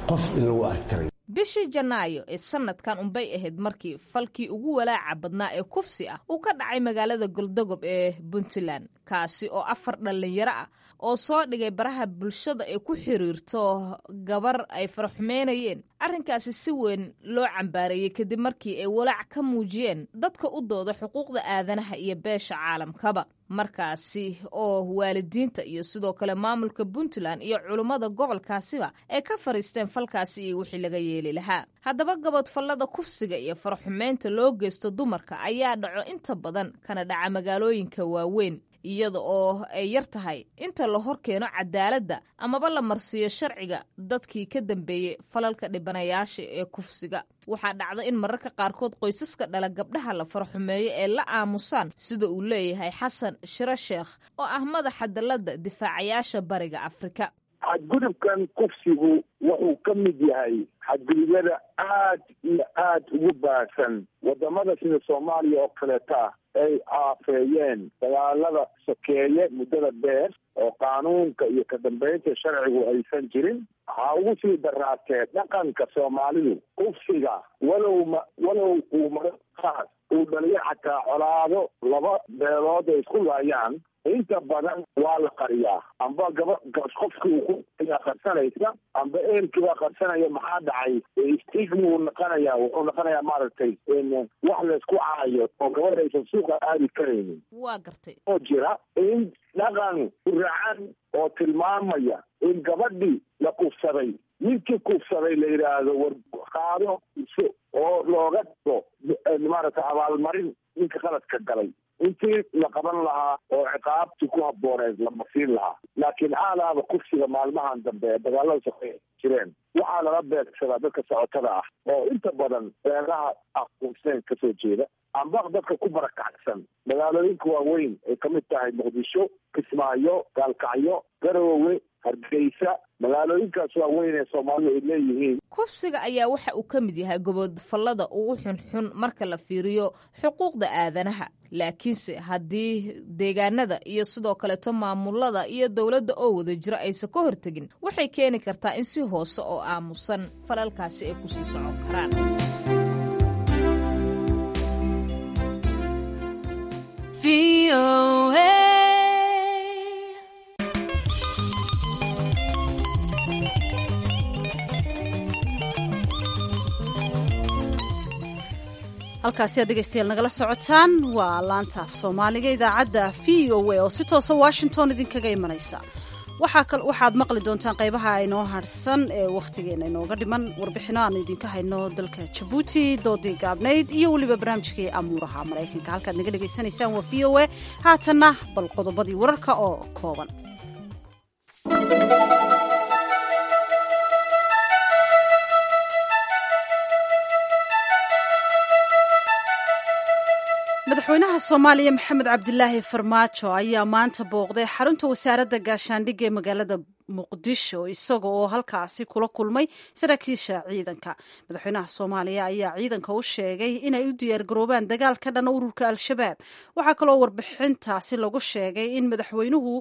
qof, in lagu arki karayo. Bishii Janaayo ee sanadkan unbay ahayd markii falkii ugu walaaca badnaa ee kufsi ah uu ka dhacay magaalada Goldogob ee Puntland, kaasi oo afar dhallinyaro ah oo soo dhigay baraha bulshada ay ku xiriirto gabar ay faraxumeynayeen. Arrinkaasi si weyn loo cambaareeyey kadib markii ay walaac ka muujiyeen dadka u dooda xuquuqda aadanaha iyo beesha caalamkaba, markaasi oo waalidiinta iyo sidoo kale maamulka Puntland iyo culummada gobolkaasiba ay ka fariisteen falkaasi iyo wixii laga yeeli lahaa. Haddaba gabodfallada kufsiga iyo faraxumeynta loo geysto dumarka ayaa dhaco inta badan kana dhaca magaalooyinka waaweyn, iyada oo ay yar tahay inta la hor keeno cadaaladda amaba la marsiiyo sharciga dadkii ka dambeeyey falalka dhibanayaasha ee kufsiga. Waxaa dhacda in mararka qaarkood qoysaska dhala gabdhaha la faraxumeeyo ee la aamusaan, sida uu leeyahay Xasan Shiro Sheekh oo ah madaxa dalladda difaacayaasha Bariga Afrika. Xadgudubkan kufsigu wuxuu ka mid yahay xadgudubyada aad iyo aad ugu baahsan wadamada sida Soomaaliya oo kaleeta ay aafeeyeen dagaalada sokeeye muddada dheer oo qaanuunka iyo ka dambeynta sharcigu aysan jirin. Waxaa ugu sii daraatee dhaqanka Soomaalidu kufsiga, walow ma walow uu mara qaar uu dhaliyo xataa colaado laba beelood ay isku laayaan, inta badan waa la qariyaa, amba gaba qofki uu ku ayaa qarsanaysa, amba eelkii baa qarsanaya. Maxaa dhacay? Stigma uu noqonaya, wuxuu noqonayaa maaragtay wax laysku caayo oo gabadha aysan suuqa aadi karaynin. Waa gartay. Oo jira in dhaqan uracan oo tilmaamaya in gabadhii la kufsaday ninkii kufsaday la yidhaahdo war qaado oo looga dhigo maaragtay abaalmarin ninka qaladka galay, intii la qaban lahaa oo ciqaabtii ku habbooneed lama siin lahaa. Laakiin aalaaba kufsiga maalmahan dambe ee dagaalada soqey jireen waxaa lala beegsadaa dadka socotada ah oo inta badan beeraha aquuseen kasoo jeeda, amba dadka ku barakacsan magaalooyinka waaweyn ay kamid tahay Muqdisho, Kismaayo, Gaalkacyo, Garoowe, Hargeysa, magaalooyinkaas waaweyn ee Soomaalidu ay leeyihiin. Kufsiga ayaa waxa uu ka mid yahay gobodfallada ugu xunxun marka la fiiriyo xuquuqda aadanaha, laakiinse haddii deegaanada iyo sidoo kaleeto maamulada iyo dowladda oo wada jiro aysan ka hortegin, waxay keeni kartaa in si hoose oo aamusan falalkaasi ay kusii socon karaan. Halkaasi aad dhegeystayaal nagala socotaan waa laanta af Soomaaliga idaacadda V O A oo si toosa Washington idinkaga imanaysa. Waxaad maqli doontaan qaybaha inoo harsan ee wakhtigeena inooga dhiman warbixino aanu idinka hayno dalka Jabuuti, doodii gaabnayd iyo weliba barnaamijkii amuuraha Maraykanka. Halkaad naga dhegaysanaysaan waa V O A. Haatanna bal qodobadii wararka oo kooban. Madaxweynaha Soomaaliya Maxamed Cabdilaahi Farmaajo ayaa maanta booqday xarunta wasaaradda gaashaandhigga ee magaalada Muqdisho, isaga oo halkaasi kula kulmay saraakiisha ciidanka. Madaxweynaha Soomaaliya ayaa ciidanka u sheegay inay u diyaargaroobaan dagaal ka dhan ururka Al-Shabaab. Waxaa kaloo warbixintaasi lagu sheegay in madaxweynuhu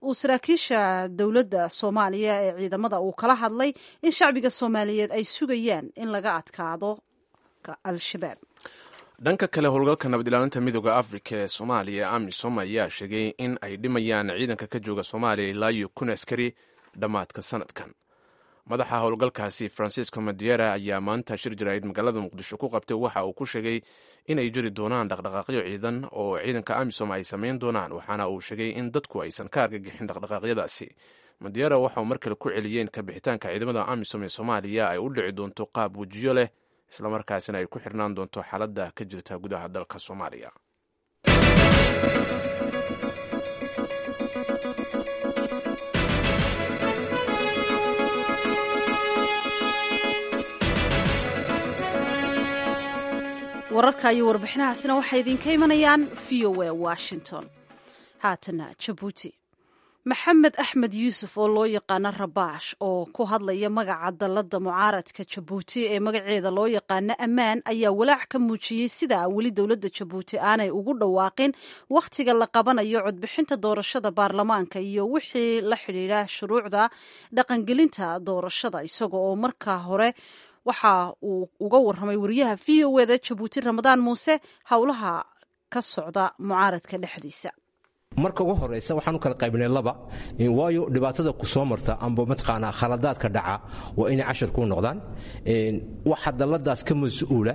uu saraakiisha dowladda Soomaaliya ee ciidamada uu kala hadlay in shacbiga Soomaaliyeed ay sugayaan in laga adkaado Al-Shabaab. Dhanka kale, howlgalka nabad ilaalinta Midooda Afrika ee Soomaaliya AMISOM ayaa sheegay in ay dhimayaan ciidanka ka jooga Soomaaliya ilaa iyo kun askari dhammaadka sanadkan. Madaxa howlgalkaasi Francisco Madiera ayaa maanta shir jaraa'id magaalada Muqdisho ku qabtay. Waxa uu ku sheegay inay jiri doonaan dhaqdhaqaaqyo ciidan oo ciidanka AMISOM ay samayn doonaan, waxaana uu sheegay in dadku aysan ka argagixin dhaqdhaqaaqyadaasi. Madiera waxa uu mar kale ku celiyeen ka bixitaanka ciidamada AMISOM ee Soomaaliya ay u dhici doonto qaab wejiyo leh, islamarkaasina ay ku xirnaan doonto xaaladda ka jirta gudaha dalka Soomaaliya. Wararka iyo warbixinahaasina waxay idinka imanayaan V O A Washington. Haatana Jabuuti. Maxamed Axmed Yuusuf oo loo yaqaano Rabaash, oo ku hadlaya magaca dalladda mucaaradka Jabuuti ee magaceeda loo yaqaano Ammaan, ayaa walaac ka muujiyey sida weli dowladda Jabuuti aanay ugu dhawaaqin wakhtiga la qabanayo codbixinta doorashada baarlamaanka iyo wixii la xidhiidha shuruucda dhaqangelinta doorashada. Isaga oo markaa hore waxa uu uga warramay wariyaha V O eda Jabuuti Ramadaan Muuse howlaha ka socda mucaaradka dhexdiisa. Marka ugu horeysa waxaan u kala qaybinay laba, waayo dhibaatada ku soo marta amba mataqaanaa khaladaadka dhaca waa inay cashar kuu noqdaan. Waxa dalladaas ka mas-uula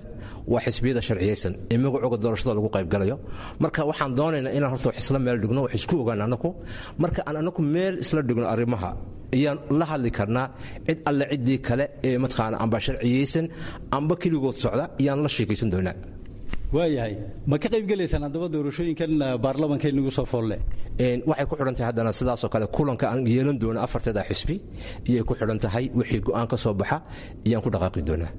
waa xisbiyada sharciyeysan ee magacooga doorashada lagu qaybgalayo. Marka waxaan doonaynaa inaan horta wax isla meel dhigno, wax isku ogaan annaku. Marka aan annaku meel isla dhigno arrimaha ayaan la hadli karnaa cid alle ciddii kale ee mataqaana amba sharciyeysan amba keligood socda ayaan la sheekaysan doonaa. Waayahay, ma ka qaybgelaysaan haddaba doorashooyinkan baarlamanka inagu soo foolle? Waxay ku xidhan tahay haddana sidaasoo kale kulanka aan yeelan doono afarteeda xisbi iyay ku xidhan tahay. Wixii go'aan ka soo baxa ayaan ku dhaqaaqi doonaa.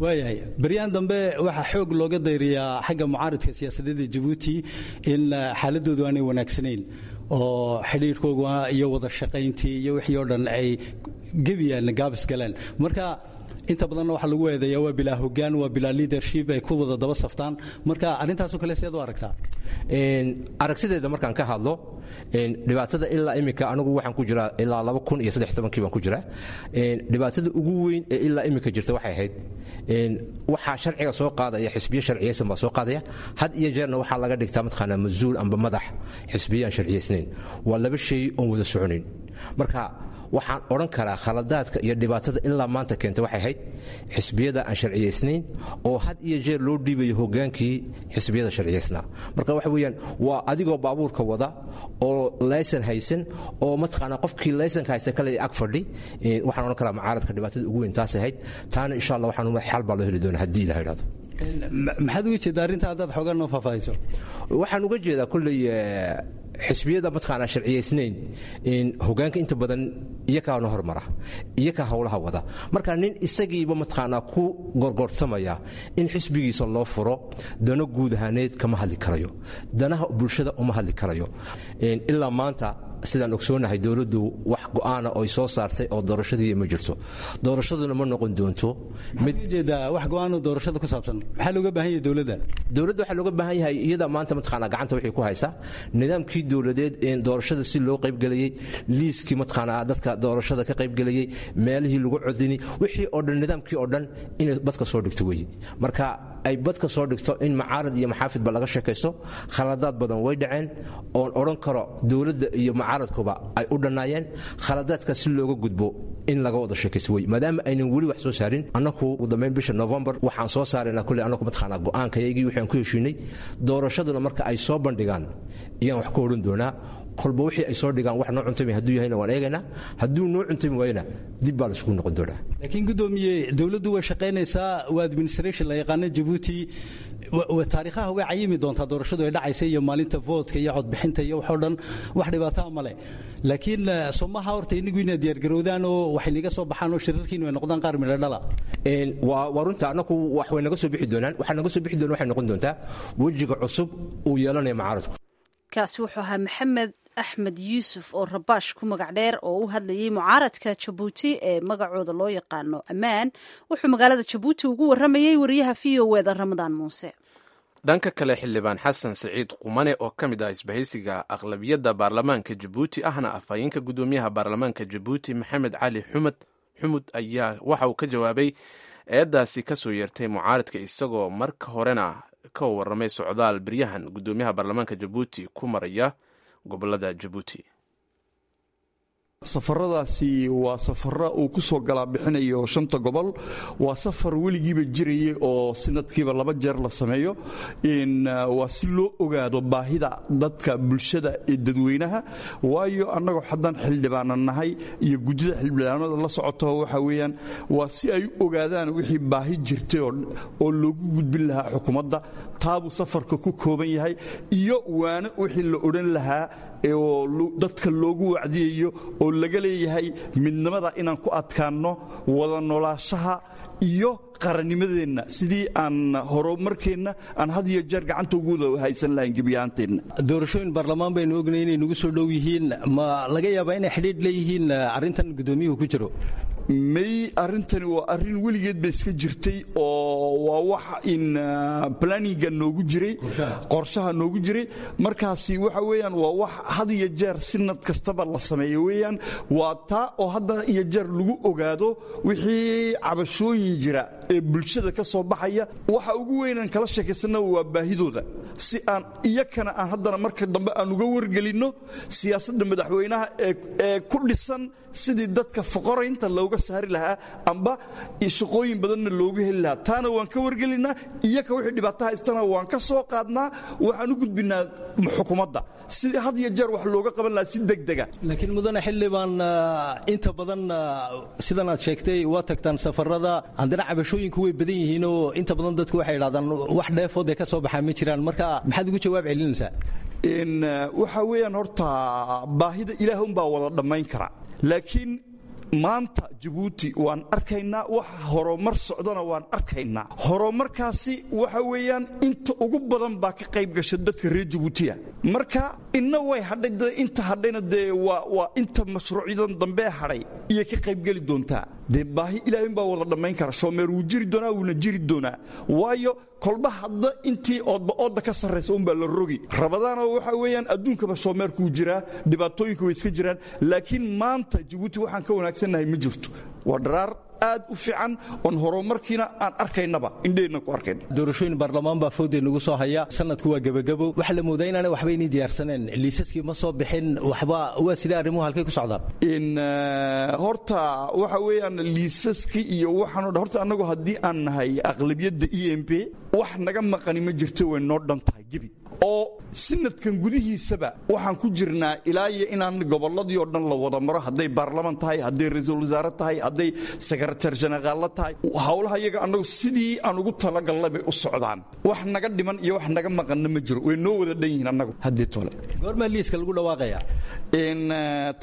Waayahay, baryahan dambe waxaa xoog looga dayriyaa xagga mucaaridka siyaasadeeda Jabuuti in xaaladoodu aanay wanaagsanayn, oo xidhiidhkooga iyo wada shaqayntii iyo wixii oo dhan ay gebiyaan gaabis galeen. Marka inta badanna waxaa lagu eedeeyaa waa bilaa hoggaan, waa bilaa leadership ay ku wada daba saftaan. Marka arrintaasoo kale seed u aragtaa? Aragsideeda markaan ka hadlo, dhibaatada ilaa iminka anigu waxaan ku jiraa ilaa laba kun iyo saddex tobankii baan ku jiraa. Dhibaatada ugu weyn ee ilaa iminka jirta waxay ahayd waxaa sharciga soo qaadaya xisbiyo sharciyeysan baa soo qaadaya. Had iyo jeerna waxaa laga dhigtaa mataqaanaa mas-uul amba madax xisbiyo aan sharciyeysnayn. Waa laba shay oon wada soconayn. Marka waxaan odhan karaa khaladaadka iyo dhibaatada ilaa maanta keenta waxay ahayd xisbiyada aan sharciyeysnayn oo had iyo jeer loo dhiibayo hogaankii xisbiyada sharciyeysnaa. Marka waxa weeyaan waa adigoo baabuurka wada oo laysan haysan oo mataqaanaa qofkii laysanka haysta kale ag fadhi. Waxaan odhan karaa mucaaradka dhibaatada ugu weyn taas ahayd. Taana insha Allah waxaan xal baa loo heli doonaa haddii Ilaah idhaahdo. Maxaad uga jeedaa arrinta haddaad xoogaa noo faahfaahiso? Waxaan uga jeedaa kolley xisbiyada mataqaanaa sharciyeysnayn hogaanka inta badan iyakaana hormara, iyakaa howlaha wada. Marka nin isagiiba mataqaanaa ku gorgortamaya in xisbigiisa loo furo dano guud ahaaneed kama hadli karayo, danaha bulshada uma hadli karayo. Ilaa maanta sidaan ogsoonahay dowladdu wax go'aana oy soo saartay oo doorashadii ma jirto, doorashaduna ma noqon doonto. Ujeedaa wax go'aanoo doorashada ku saabsan maxaa looga baahan yahay dowladda? Dowladda waxaa looga baahan yahay iyada maanta mataqaanaa gacanta waxay ku haysaa nidaamkii dowladeed ee doorashada si loo qaybgelayey, liiskii mataqaanaa dadka doorashada ka qaybgelayey, meelihii lagu codini, wixii oo dhan nidaamkii oo dhan inay badka soo dhigto weeye. Marka ay badka soo dhigto in macaarad iyo maxaafidba laga sheekaysto. Khaladaad badan way dhaceen oon odhan karo dowladda iyo macaaradkuba ay u dhannaayeen. Khaladaadka si looga gudbo in laga wada sheekaysto wey, maadaama aynan weli wax soo saarin. Annaku ugu dambayn bisha Novembar waxaan soo saaraynaa kulley annaku mataqaanaa go'aankayagii waxaan ku heshiinay. Doorashaduna marka ay soo bandhigaan ayaan wax ka odhan doonaa. Kolba wixii ay soo dhigaan wax noo cuntami hadduu yahayna waan eegaynaa, hadduu noo cuntami waayana dib baa laisugu noqon doonaa. Laakiin guddoomiye, dowladdu way shaqaynaysaa, waa administration la yaqaano Jabuuti, taariikhaha way cayimi doontaa doorashadu ay dhacaysa iyo maalinta voodka iyo codbixinta iyo waxoo dhan, wax dhibaataa male. Laakiin somaha horta inagu inaad diyaargarowdaan oo waxay naga soo baxaan oo shirarkiinu ay noqdaan qaar midho dhala. Waa runta, annaku wax way naga soo bixi doonaan. Waxaa naga soo bixi doona waxay noqon doontaa wejiga cusub uu yeelanaya mucaaradku. Kaasi wuxuu ahaa Maxamed Axmed Yuusuf oo Rabaash ku magac dheer, oo u hadlayay mucaaradka Jabuuti ee magacooda loo yaqaano Ammaan. Wuxuu magaalada Jabuuti ugu warramayey wariyaha V O eda Ramadaan Muuse. Dhanka kale, xildhibaan Xasan Siciid Qumane oo ka mid ah isbahaysiga aqlabiyadda baarlamaanka Jabuuti ahna afhayeenka guddoomiyaha baarlamaanka Jabuuti Maxamed Cali Xumad Xumud ayaa waxa uu ka jawaabay eedaasi ka soo yeertay mucaaradka, isagoo marka horena ka warramay socdaal beryahan guddoomiyaha baarlamaanka Jabuuti ku maraya gobolada Jabuuti. Safaradaasi waa safaro uu ku soo galaa bixinayo shanta gobol. Waa safar weligiiba jirayay oo sanadkiiba laba jeer la sameeyo. Waa si loo ogaado baahida dadka bulshada ee dadweynaha, waayo annagoo haddaan xildhibaana nahay iyo guddida xildhibaanada la socoto, waxa weeyaan waa si ay u ogaadaan wixii baahi jirtay oo loogu gudbin lahaa xukuumadda. Taabuu safarka ku kooban yahay iyo waana wixii la odhan lahaa oo dadka loogu wacdiyayo oo laga leeyahay midnimada inaan ku adkaanno, wada noolaashaha iyo qarannimadeenna, sidii aan horumarkeenna aan had iyo jeer gacanta ugu wada haysan lahayn gebiyahaanteenna. Doorashooyin baarlamaan baynu ognay inay nagu soo dhow yihiin. Ma laga yaabaa inay xidhiidh leeyihiin arrintan guddoomiyuhu ku jiro? May, arrintani waa arrin weligeed ba iska jirtay oo waa wax in planninga noogu jiray, qorshaha noogu jiray. Markaasi waxa weeyaan waa wax had iyo jeer sinad kastaba la sameeyo weeyaan. Waa taa oo hadda iyo jeer lagu ogaado wixii cabashooyin jira ee bulshada ka soo baxaya. Waxa ugu weynaan kala sheekaysana waa baahidooda, si aan iyakana aan haddana marka dambe aan uga wargelinno siyaasadda madaxweynaha ee ku dhisan sidii dadka foqoraynta looga saari lahaa amba shaqooyin badanna loogu heli lahaa. Taana waan ka wargelinaa, iyaka wixii dhibaato haystana waan ka soo qaadnaa, waxaan u gudbinaa xukuumadda si had iyo jeer wax looga qaban lahaa si degdega. Laakiin mudane xildhibaan, inta badan sidan aad sheegtay waa tagtaan safarada, haddana cabashooyinku way badan yihiinoo inta badan dadku waxay idhahdaan wax dheefood ee ka soo baxaa ma jiraan. Marka maxaad ugu jawaab celinaysaa? Waxa weeyaan horta baahida ilaah unbaa wada dhammayn kara, laakiin maanta Jabuuti waan arkaynaa, waxa horumar socdana waan arkaynaa. Horumarkaasi waxa weeyaan inta ugu badan baa ka qayb gasha dadka reer Jabuutiya. Marka inna way hadhay, inta hadhayna dee waa waa inta mashruucyadan dambe hadhay iyo ka qaybgeli doontaa. Dee baahi ilaahay baa wada dhammayn kara. Shoomeer wuu jiri doonaa, wuuna jiri doonaa, waayo kolba hadda intii oodba oodda ka sarraysa unbaa la rogi rabadaana. Waxa weeyaan adduunkaba shoomeerkuu jiraa, dhibaatooyinka way iska jiraan, laakiin maanta Jabuuti waxaan ka wanaagsannahay ma jirto. Waa dharaar aad u fiican oon horumarkiina aan arkaynaba, indheenna ku arkayna. Doorashooyin baarlamaan baa foodee nagu soo haya, sanadku waa gebagabo. Waxaa la moodaa inaanay waxba inay diyaarsaneen, liisaskii ma soo bixin waxba. Waa sidee arrimuhu, halkay ku socdaan? In horta waxa weeyaan liisaskii iyo waxaan o dhan, horta annagu haddii aan nahay aqlabiyadda E M P, wax naga maqani ma jirto, way noo dhan tahay gebi. Oo sanadkan gudihiisaba waxaan ku jirnaa ilaa iyo inaan gobolladii oo dhan la wada maro, hadday baarlaman tahay, hadday ra-iisul wasaare tahay, hadday sekretar jeneraalla tahay. Howlaha iyaga annagu sidii aan ugu talagalnay bay u socdaan. Wax naga dhiman iyo wax naga maqanna ma jiro, way noo wada dhan yihiin annagu haddii tole. Goormaa liiska lagu dhawaaqaya?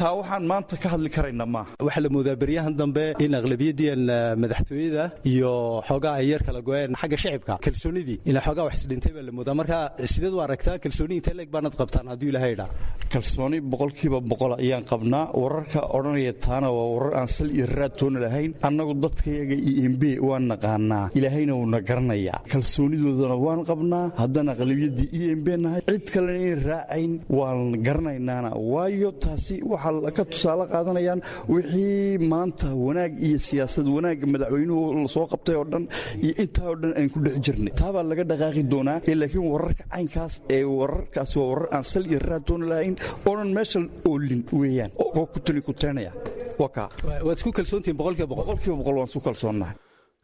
Taa waxaan maanta ka hadli karaynaa maaha. Waxaa la moodaa beryahan dambe in aqlabiyadiian madaxtooyada iyo xoogaa ay yar kala go-een xagga shicibka, kalsoonidii ina xoogaa wax isdhintay baa la moodaa. Marka sideed u aragtaa, kalsooni intee leeg baanad qabtaan hadduu Ilaahay idhaa? Kalsooni boqolkiiba boqol ayaan qabnaa. Wararka odhanaya taana waa warar aan sal iyo raad toona lahayn. Annagu dadkayaga E M P waan naqaanaa, Ilaahayna wuuna garanayaa, kalsoonidoodana waan qabnaa. Haddaan aqlabiyadii E M P nahay, cid kalena in raacayn waan garanaynaana, waayo taasi waxaa ka tusaale qaadanayaan wixii maanta wanaag iyo siyaasad wanaagga madaxweynuhu lasoo qabtay oo dhan iyo intaa oo dhan aan ku dhex jirnay. Taabaa laga dhaqaaqi doonaa. Laakiin wararka caynkaas ee wararkaasi waa warar aan sal iyo raad toona lahayn oonan meesha oolin weeyaan oo ku tuni kuteenaya. Waad isku kalsoontihiin boqolkiiba boqol? Boqolkiiba boqol waan isku kalsoonnahay.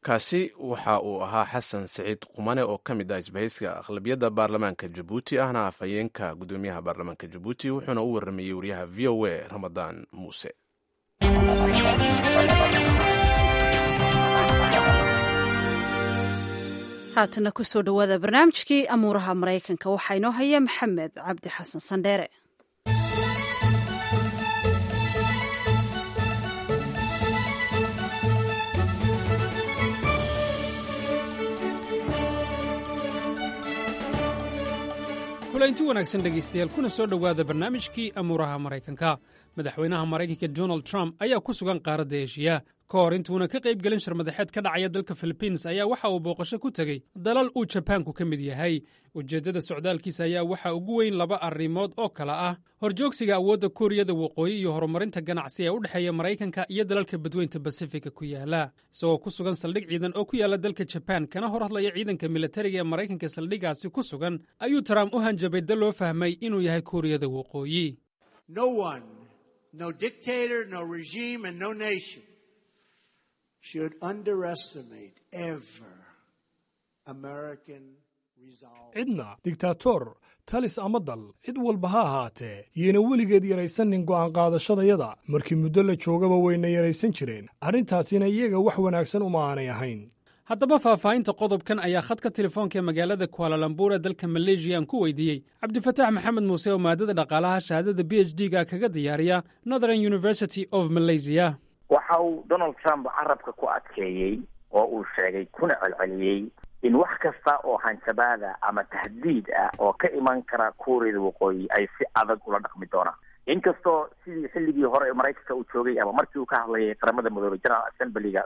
Kaasi waxa uu ahaa Xasan Siciid Qumane oo ka mid ah isbahayska aqlabiyadda baarlamaanka Jabuuti, ahna afhayeenka guddoomiyaha baarlamaanka Jabuuti, wuxuuna u waramayey wariyaha V O A Ramadaan Muuse. Haatana kusoo dhowaada barnaamijkii amuuraha Maraykanka. Waxaa inoo haya Maxamed Cabdi Xasan Sandheere. Kulanti wanaagsan dhegaystayaal, kuna soo dhowaada barnaamijkii amuuraha Maraykanka. Madaxweynaha Maraykanka Donald Trump ayaa ku sugan qaaradda Eshiya. Ka hor intuuna ka qayb gelin shirmadaxeed ka dhacaya dalka Philibiins ayaa waxa uu booqasho ku tegey dalal uu Jabaanku ka mid yahay. Ujeeddada socdaalkiisa ayaa waxaa ugu weyn laba arrimood oo kale ah: horjoogsiga awoodda Kuuriyada Waqooyi iyo horumarinta ganacsi ee u dhexeeya Maraykanka iyo dalalka Badweynta Basifika ku yaala. Isagoo ku sugan saldhig ciidan oo ku yaala dalka Jabaan, kana hor hadlaya ciidanka militariga ee Maraykanka saldhiggaasi ku sugan, ayuu Trump u hanjabay dal loo fahmay inuu yahay Kuuriyada Waqooyi. No dictator, no regime, and no nation should underestimate ever American resolve. Cidna digtaatoor, talis ama dal, cid walba ha ahaatee, yayna weligeed yaraysanin go'aan qaadashadayada. Markii muddo la joogaba wayna yaraysan jireen. Arrintaasina iyaga wax wanaagsan uma aanay ahayn. Haddaba faahfaahinta qodobkan ayaa khadka telefoonka ee magaalada Kuala Lumpur ee dalka Maleeshiya aan ku weydiiyey Cabdifataax Maxamed Muuse oo maadada dhaqaalaha shahaadada P H D ga kaga diyaariya Northern University of Malaysia. Waxa uu Donald Trump carabka ku adkeeyey oo uu sheegay kuna celceliyey in wax kasta oo hanjabaada ama tahdiid ah oo ka iman kara Kuuriyada Waqooyi ay si adag ula dhaqmi doonaan, inkastoo sidii xilligii hore ee Maraykanka uu joogay ama markii uu ka hadlayay Qaramada Midoobay General Assemblyga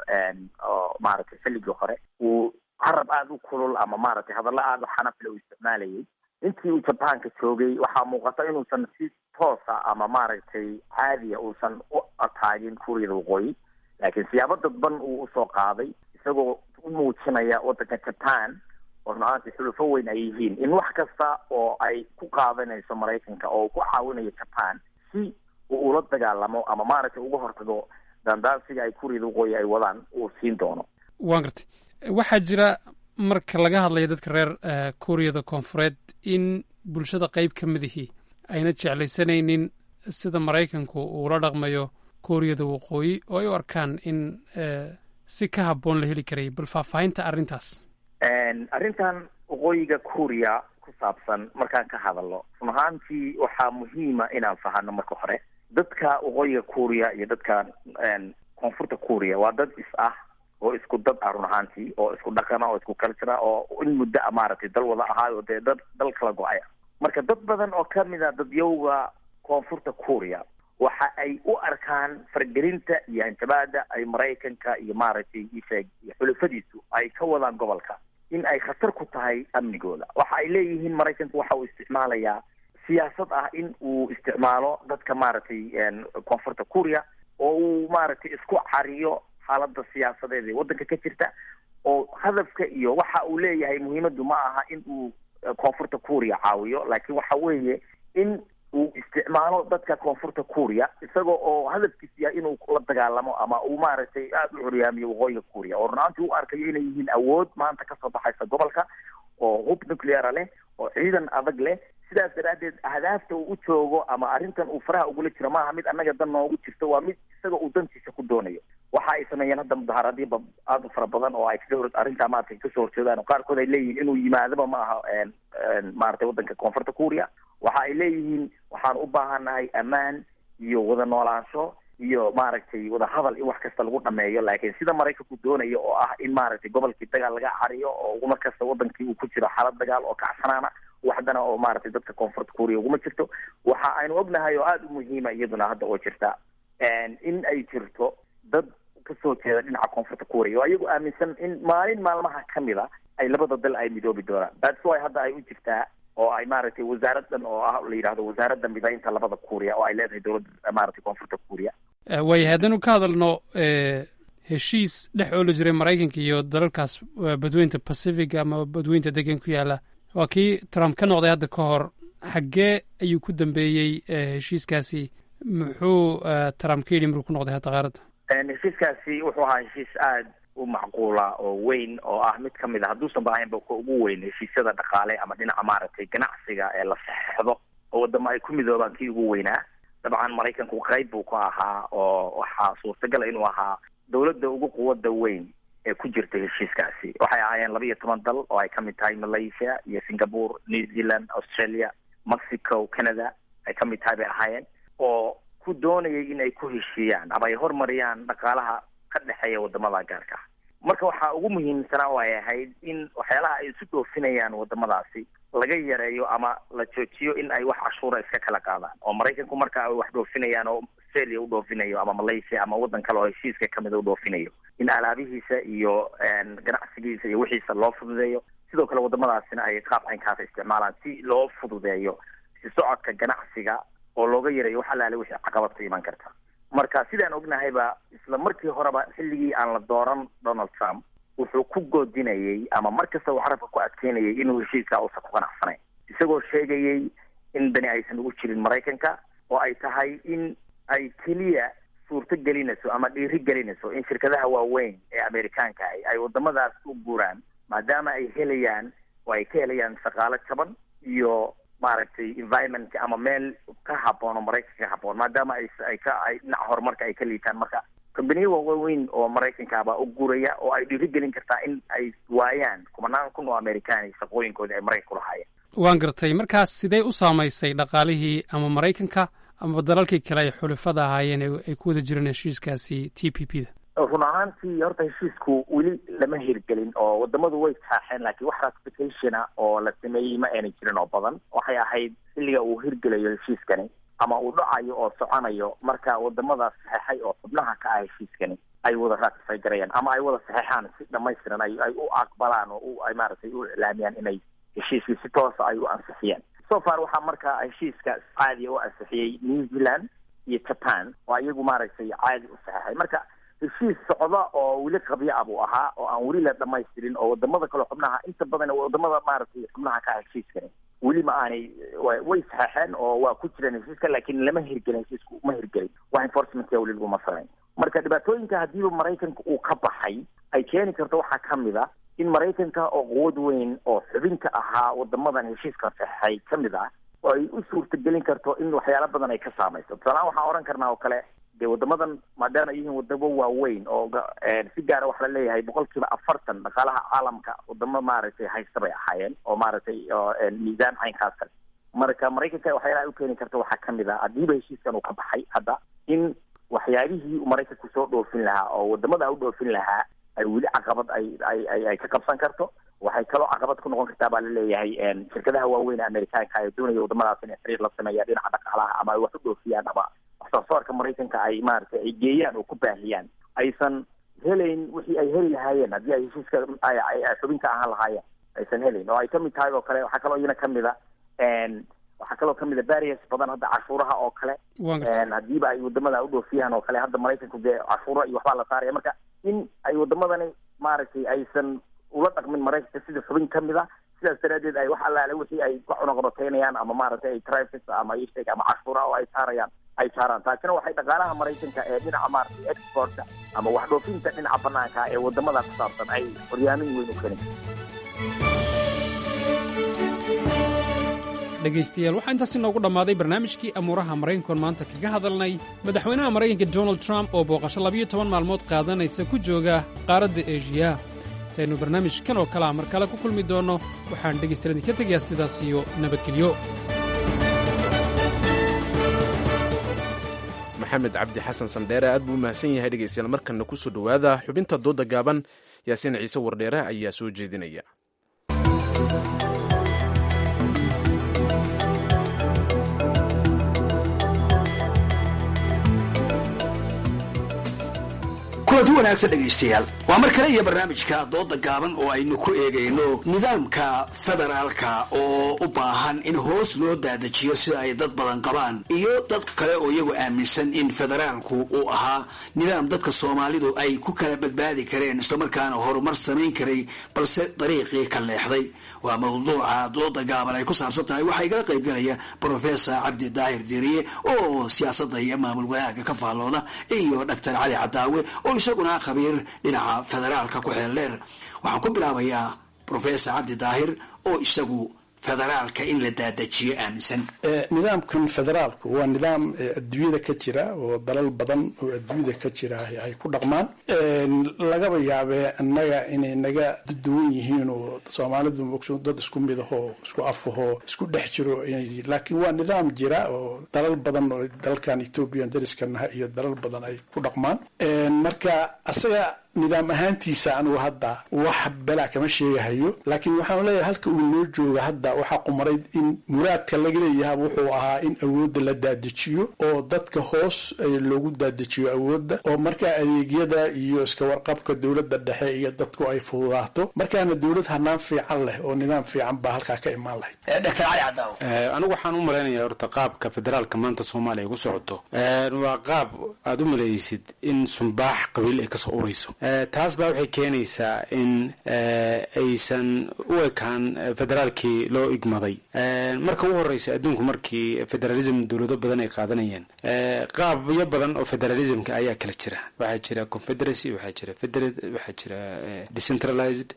oo maaragtay xilligii hore uu carab aada u kulul ama maaragtay hadallo aada u xanafle uu isticmaalayay. Intii uu Jabaanka joogay waxaa muuqata inuusan si toosa ama maaragtay caadiya uusan u ataagin Kuuriyada Waqooyi, laakiin siyaabo dadban uu usoo qaaday, isagoo u muujinaya waddanka Jaban oo run ahaantii xulufo weyn ay yihiin in wax kasta oo ay ku qaadanayso Maraykanka oo ku caawinayo Jaban si uu ula dagaalamo ama maaragtay uga hortago daandaansiga ay Kuuriyada Waqooyi ay wadaan uu siin doono. Waan gartay. Waxaa jira marka laga hadlayo dadka reer Kuuriyada Koonfureed in bulshada qeyb ka mid ihi ayna jeclaysanaynin sida Maraykanku uula dhaqmayo Kuuriyada Waqooyi oo ay u arkaan in si ka habboon la heli karayay. Bal faahfaahinta arrintaas. Arrintan Waqooyiga Kuuriya ku saabsan markaan ka hadalno, run ahaantii waxaa muhiima inaan fahano marka hore dadka Waqooyiga Kuuriya iyo dadka Koonfurta Kuuriya waa dad is ah oo isku dad ah run ahaantii, oo isku dhaqana oo isku culture oo in muddo a maaragtay dal wada ahaayo, dee dad dal kala go-ay. Marka dad badan oo kamid a dadyowga Koonfurta Kuuriya waxa ay u arkaan fargelinta iyo hanjabaada ay Maraykanka iyo maaragtay isheeg iyo xulafadiisu ay ka wadaan gobolka in ay khatar ku tahay amnigooda. Waxa ay leeyihiin Maraykanku waxa uu isticmaalayaa siyaasad ah in uu isticmaalo dadka maaragtay Koonfurta Kuuriya oo uu maaragtay isku cariyo xaaladda siyaasadeed ee waddanka ka jirta, oo hadafka iyo waxa uu leeyahay muhiimaddu ma aha in uu Koonfurta Kuuriya caawiyo, laakiin waxa weeye in uu isticmaalo dadka Koonfurta Kuuriya isagoo oo hadafkiisu yahay inuu la dagaalamo ama uu maaragtay aada u curyaamiyo Waqooyiga Kuuriya, oo runaantii u arkayo inay yihiin awood maanta kasoo baxaysa gobolka oo hub nucleara leh oo ciidan adag leh. Sidaas daraaddeed ahdaafta uu u joogo ama arrintan uu faraha ugula jiro maaha mid annaga dan noogu jirto, waa mid isaga uu dantiisa ku doonayo. Waxa ay sameeyeen hadda mudaharaadyo aada u fara badan oo ay kaga hor arrintaa maaragtay kasoo horjeedaan, oo qaarkood ay leeyihiin inuu yimaadaba ma aha maaragtay waddanka Koonfurta Kuuriya. Waxa ay leeyihiin waxaan u baahannahay ammaan iyo wada noolaansho iyo maaragtay wada hadal in wax kasta lagu dhameeyo, laakiin sida Maraykanku doonayo oo ah in maaragtay gobolkii dagaal laga cariyo oo mar kasta wadankii uu ku jiro xaalad dagaal oo kacsanaana, waxdana oo maaragtay dadka Koonfurta Kuuriya uguma jirto. Waxa aynu ognahay oo aada u muhiima iyaduna hadda oo jirta in ay jirto dad kasoo jeeda dhinaca Koonfurta Kuuriya oo ayagu aaminsan in maalin maalmaha kamid a ay labada dal ay midoobi doonaan. That's why hadda ay u jirtaa oo ay maaragtay wasaaraddan oo ah la yidhahdo Wasaaradda Midaynta labada Kuuriya oo ay leedahay dowladda maaragtay Koonfurta Kuuriya. Waayahay, haddaynu ka hadalno heshiis dhex ooli jiray Maraykanka iyo dalalkaas badweynta Pacific ama badweynta degan ku yaala, waa kii Trump ka noqday hadda ka hor. Xaggee ayuu ku dambeeyey heshiiskaasi? Muxuu Trump ka yidhi markuu ku noqday hadda qaaradda? Heshiiskaasi wuxuu ahaa heshiis aada u macquula oo weyn oo ah mid kamid a, hadduusan ba ahaynba ka ugu weyn heshiisyada dhaqaale ama dhinaca maaragtay ganacsiga ee la saxeixdo oo wadamo ay ku midoobaan kii ugu weynaa. Dabcan Maraykanku qayb buu ka ahaa oo waxaa suurtagala inuu ahaa dowladda ugu quwadda weyn ee ku jirta heshiiskaasi. Waxay ahaayeen laba iyo toban dal oo ay kamid tahay Malaysia iyo Singapore, New Zealand, Australia, Mexico, Canada ay kamid tahay bay ahaayeen, oo ku doonayay in ay ku heshiiyaan ama ay horumariyaan dhaqaalaha ka dhexeeya wadamada gaarka ah. Marka waxaa ugu muhiimsanaa oo ay ahayd in waxyaalaha ay isu dhoofinayaan wadamadaasi laga yareeyo ama la joojiyo in ay wax cashuura iska kala qaadaan, oo Maraykanku marka ay wax dhoofinayaan oo Australia u dhoofinayo ama Malaysia ama waddan kale oo heshiiska kamida u dhoofinayo in alaabihiisa iyo ganacsigiisa iyo wixiisa loo fududeeyo. Sidoo kale wadamadaasina ay qaab caynkaasa isticmaalaan si loo fududeeyo si socodka ganacsiga oo looga yareeyo wax allaale wixii caqabad ku iman karta. Marka sidaan ognahayba, isla markii horeba xilligii aan la dooran Donald Trump wuxuu ku goodinayay ama mar kasta uu carabka ku adkeynayay inuu heshiiskaa uusan ku qanacsanayn, isagoo sheegayay in dani aysan ugu jirin Maraykanka oo ay tahay in ay keliya suurto gelinayso ama dhiiri gelinayso in shirkadaha waaweyn ee Amerikaanka ahi ay wadamadaas u guuraan, maadaama ay helayaan oo ay ka helayaan shaqaalo jaban iyo maaragtay environment ama meel ka habboon oo Maraykanka ka habboon, maadaama ay ay ka ay dhinaca horumarka ay ka liitaan. Marka kombaniyo waaweyn oo Maraykanka baa u guuraya oo ay dhiirigelin kartaa in ay waayaan kumanaan kun oo Amerikaan shaqooyinkoodii ay Maraykanka kulahaayeen. Waan gartay. Markaas sidee u saamaysay dhaqaalihii ama Maraykanka ama dalalkii kale ay xulafada ahaayeen ee ay ku wada jireen heshiiskaasi T P P da? Run ahaantii horta heshiisku weli lama hirgelin oo wadamadu way saaxeen, laakiin wax ratification ah oo la sameeyey ma aanay jirin oo badan. Waxay ahayd xilliga uu hirgelayo heshiiskani ama uu dhacayo oo soconayo marka wadamadaas saxeexay oo xubnaha ka ah heshiiskani ay wada ratify garayaan ama ay wada saxeexaan si dhamaystiran, ay ay u aqbalaan oo u ay maaragtay u iclaamiyaan inay heshiiskii si toosa ay u ansixiyeen. So far waxaa markaa heshiiska caadiya u ansixiyey New Zealand iyo Japan oo iyagu maaragtay caadi u saxeexay. Marka heshiis socda oo weli qabyo ah buu ahaa oo aan weli la dhamaystirin, oo wadamada kale xubnaha inta badan wadamada maaragtay xubnaha ka ah heshiiskani weli ma aanay way saxeexeen oo waa ku jireen heshiiska, laakiin lama hirgelin, heshiisku ma hirgelin, wax enforcement weli laguma samayn. Marka dhibaatooyinka haddiiba Maraykanka uu ka baxay ay keeni karto waxaa kamid a in Maraykanka oo quwad weyn oo xubinka ahaa wadamadan heshiiska saxeexay kamid ah oo ay u suurtagelin karto in waxyaalo badan ay ka saamayso. Tusaalahaan waxaan oran karnaa oo kale dee wadamadan maadaama ay yihiin wadamo waaweyn oo si gaara waxa la leeyahay boqolkiiba afartan dhaqaalaha caalamka wadamo maaragtay haysta bay ahaayeen oo maaragtay miisaan caynkaas kale. Marka Maraykanka waxyaalaha ay u keeni karto waxaa kamid ah haddiiba heshiiskan uu ka baxay hadda in waxyaabihii uu Maraykanku soo dhoofin lahaa oo wadamada u dhoofin lahaa ay weli caqabad ay ay ay ay ka qabsan karto. Waxay kaloo caqabad ku noqon kartaa baa laleeyahay shirkadaha waaweyn ee Amerikaanka ay doonaya wadamadaas inay xiriir la sameeyaan dhinaca dhaqaalaha ama ay wax u dhoofiyaan ama wax soo saarka Maraykanka ay maaragtay ay geeyaan oo ku baahiyaan aysan helayn wixii ay heli lahaayeen haddii ay heshiiska ay ay xubinka ahaan lahaayeen aysan helayn, oo ay kamid tahay oo kale. Waxaa kaloo iyana kamid a waxaa kaloo kamid a barriers badan hadda cashuuraha oo kale, haddiiba ay wadamada u dhoofiyaan oo kale hadda Maraykanku dee cashuuro iyo waxbaa la saaraya. Marka in ay wadamadani maaragtay aysan ula dhaqmin Maraykanka sida xubin kamid a, sidaas daraadeed ay wax allaale wixii ay ka cunaqabateynayaan ama maaragtay ay traffic ama isheeg ama cashuuraha oo ay saarayaan ay saaraan. Taasina waxay dhaqaalaha Maraykanka ee dhinaca maaragtay exportka ama wax dhoofinta dhinaca banaanka ee wadamada ku saabsan ay horyaamin weyn u keeni. Dhegaystayaal, waxaa intaas inoogu dhammaaday barnaamijkii amuuraha Maraykankoon maanta kaga hadalnay madaxweynaha Maraykanka Donald Trump oo booqasho labiyo toban maalmood qaadanaysa ku jooga qaaradda Eshiya. Intaynu barnaamijkan oo kalea mar kale ku kulmi doonno, waxaan dhegaystayaal idinka tegayaa sidaas iyo nabadgelyo. Maxamed Cabdi Xasan Sandheere aad buu mahadsan yahay. Dhegaystayaal, markanna ku soo dhowaada xubinta doodda gaaban. Yaasiin Ciise Wardheere ayaa soo jeedinaya. Kulanti wanaagsan dhegaystayaal, waa mar kale iyo barnaamijka dooda gaaban oo aynu ku eegayno nidaamka federaalka oo u baahan in hoos loo daadajiyo sida ay dad badan qabaan iyo dad kale oo iyagu aaminsan in federaalku uu ahaa nidaam dadka soomaalidu ay ku kala badbaadi kareen islamarkaana horumar samayn karay, balse dariiqii ka leexday. Waa mawduuca dooda gaaban ay ku saabsan tahay. Waxaa igala qaybgalaya brofesor Cabdi Daahir Diriye oo siyaasadda iyo maamul wanaagga ka faallooda iyo Doctor Cali Cadaawe oo isaguna khabiir dhinaca federaalka ku xeel dheer. Waxaan ku bilaabayaa brofesor Cabdi Daahir oo isagu federaalka in la daadajiyo aaminsan. Nidaamkan federaalku waa nidaam adduunyada ka jira oo dalal badan oo adduunyada ka jira ay ku dhaqmaan. Lagaba yaabee annaga inay naga duwan yihiin oo soomaalidu dad isku mid ahoo isku afahoo isku dhex jiro, laakiin waa nidaam jira oo dalal badan oo dalkan Ethoobiyan dariskanaha iyo dalal badan ay ku dhaqmaan. Marka asaga nidaam ahaantiisa anugu hadda wax balaa kama sheegahayo, laakiin waxaan leeyahay halka uu noo jooga hadda waxaa qumarayd in muraadka laga leeyaha wuxuu ahaa in awoodda la daadajiyo oo dadka hoos loogu daadajiyo awoodda, oo markaa adeegyada iyo iska warqabka dowladda dhexe iyo dadku ay fududaato, markaana dowlad hanaan fiican leh oo nidaam fiican baa halkaa ka imaan lahayd. Doctor Cali Cadaaw, anigu waxaan u malaynayaa horta qaabka federaalka maanta Soomaaliya ku socoto waa qaab aada u malaysid in sumbaax qabiil ay kasoo urayso. Taas baa waxay keenaysaa in aysan u ekaan federaalkii loo loo igmaday. Marka ugu horeysa adduunku markii federalism dowlado badan ay qaadanayeen, qaabyo badan oo federalismka ayaa kala jira. Waxaa jira confederacy, waxaa jira federate, waxaa jira decentralized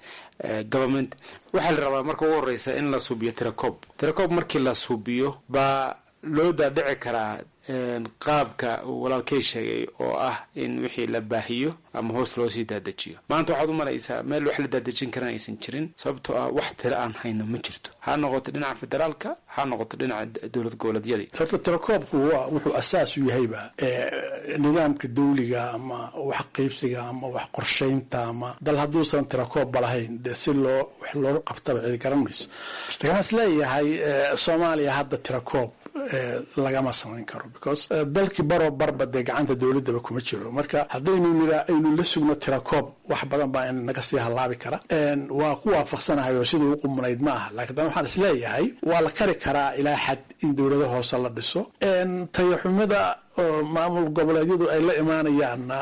government. Waxaa la rabaa marka ugu horeysa in la suubiyo tirakoob. Tirakoob markii la suubiyo baa loo daadhici karaa qaabka uu walaalkay sheegay oo ah in wixii la baahiyo ama hoos loo sii daadajiyo. Maanta waxaad u malaysaa meel wax la daadejin karana aysan jirin, sababtoo ah wax tiro aan hayno ma jirto, ha noqoto dhinaca federaalka, ha noqoto dhinaca dowlad goboleedyadii. Horta tirakoobku waa wuxuu asaas u yahayba nidaamka dawliga ama wax qaybsiga ama wax qorshaynta ama dal hadduusan tirakoobba lahayn, dee si loo wax loo qabtaba cidi garan mayso. Lakin waxaan is leeyahay Soomaaliya hadda tirakoob lagama samayn karo, because dalkii baroo barba dee gacanta dowladaba kuma jiro. Marka haddaynu nira aynu la sugno tirakoob, wax badan baa naga sii halaabi kara. Waa ku waafaqsanahay oo sidii u qumunayd ma aha, lakin haddana waxaan isleeyahay waa la kari karaa ilaa xad in dowlado hoose la dhiso. Tayaxumada oo maamul goboleedyadu ay la imaanayaanna,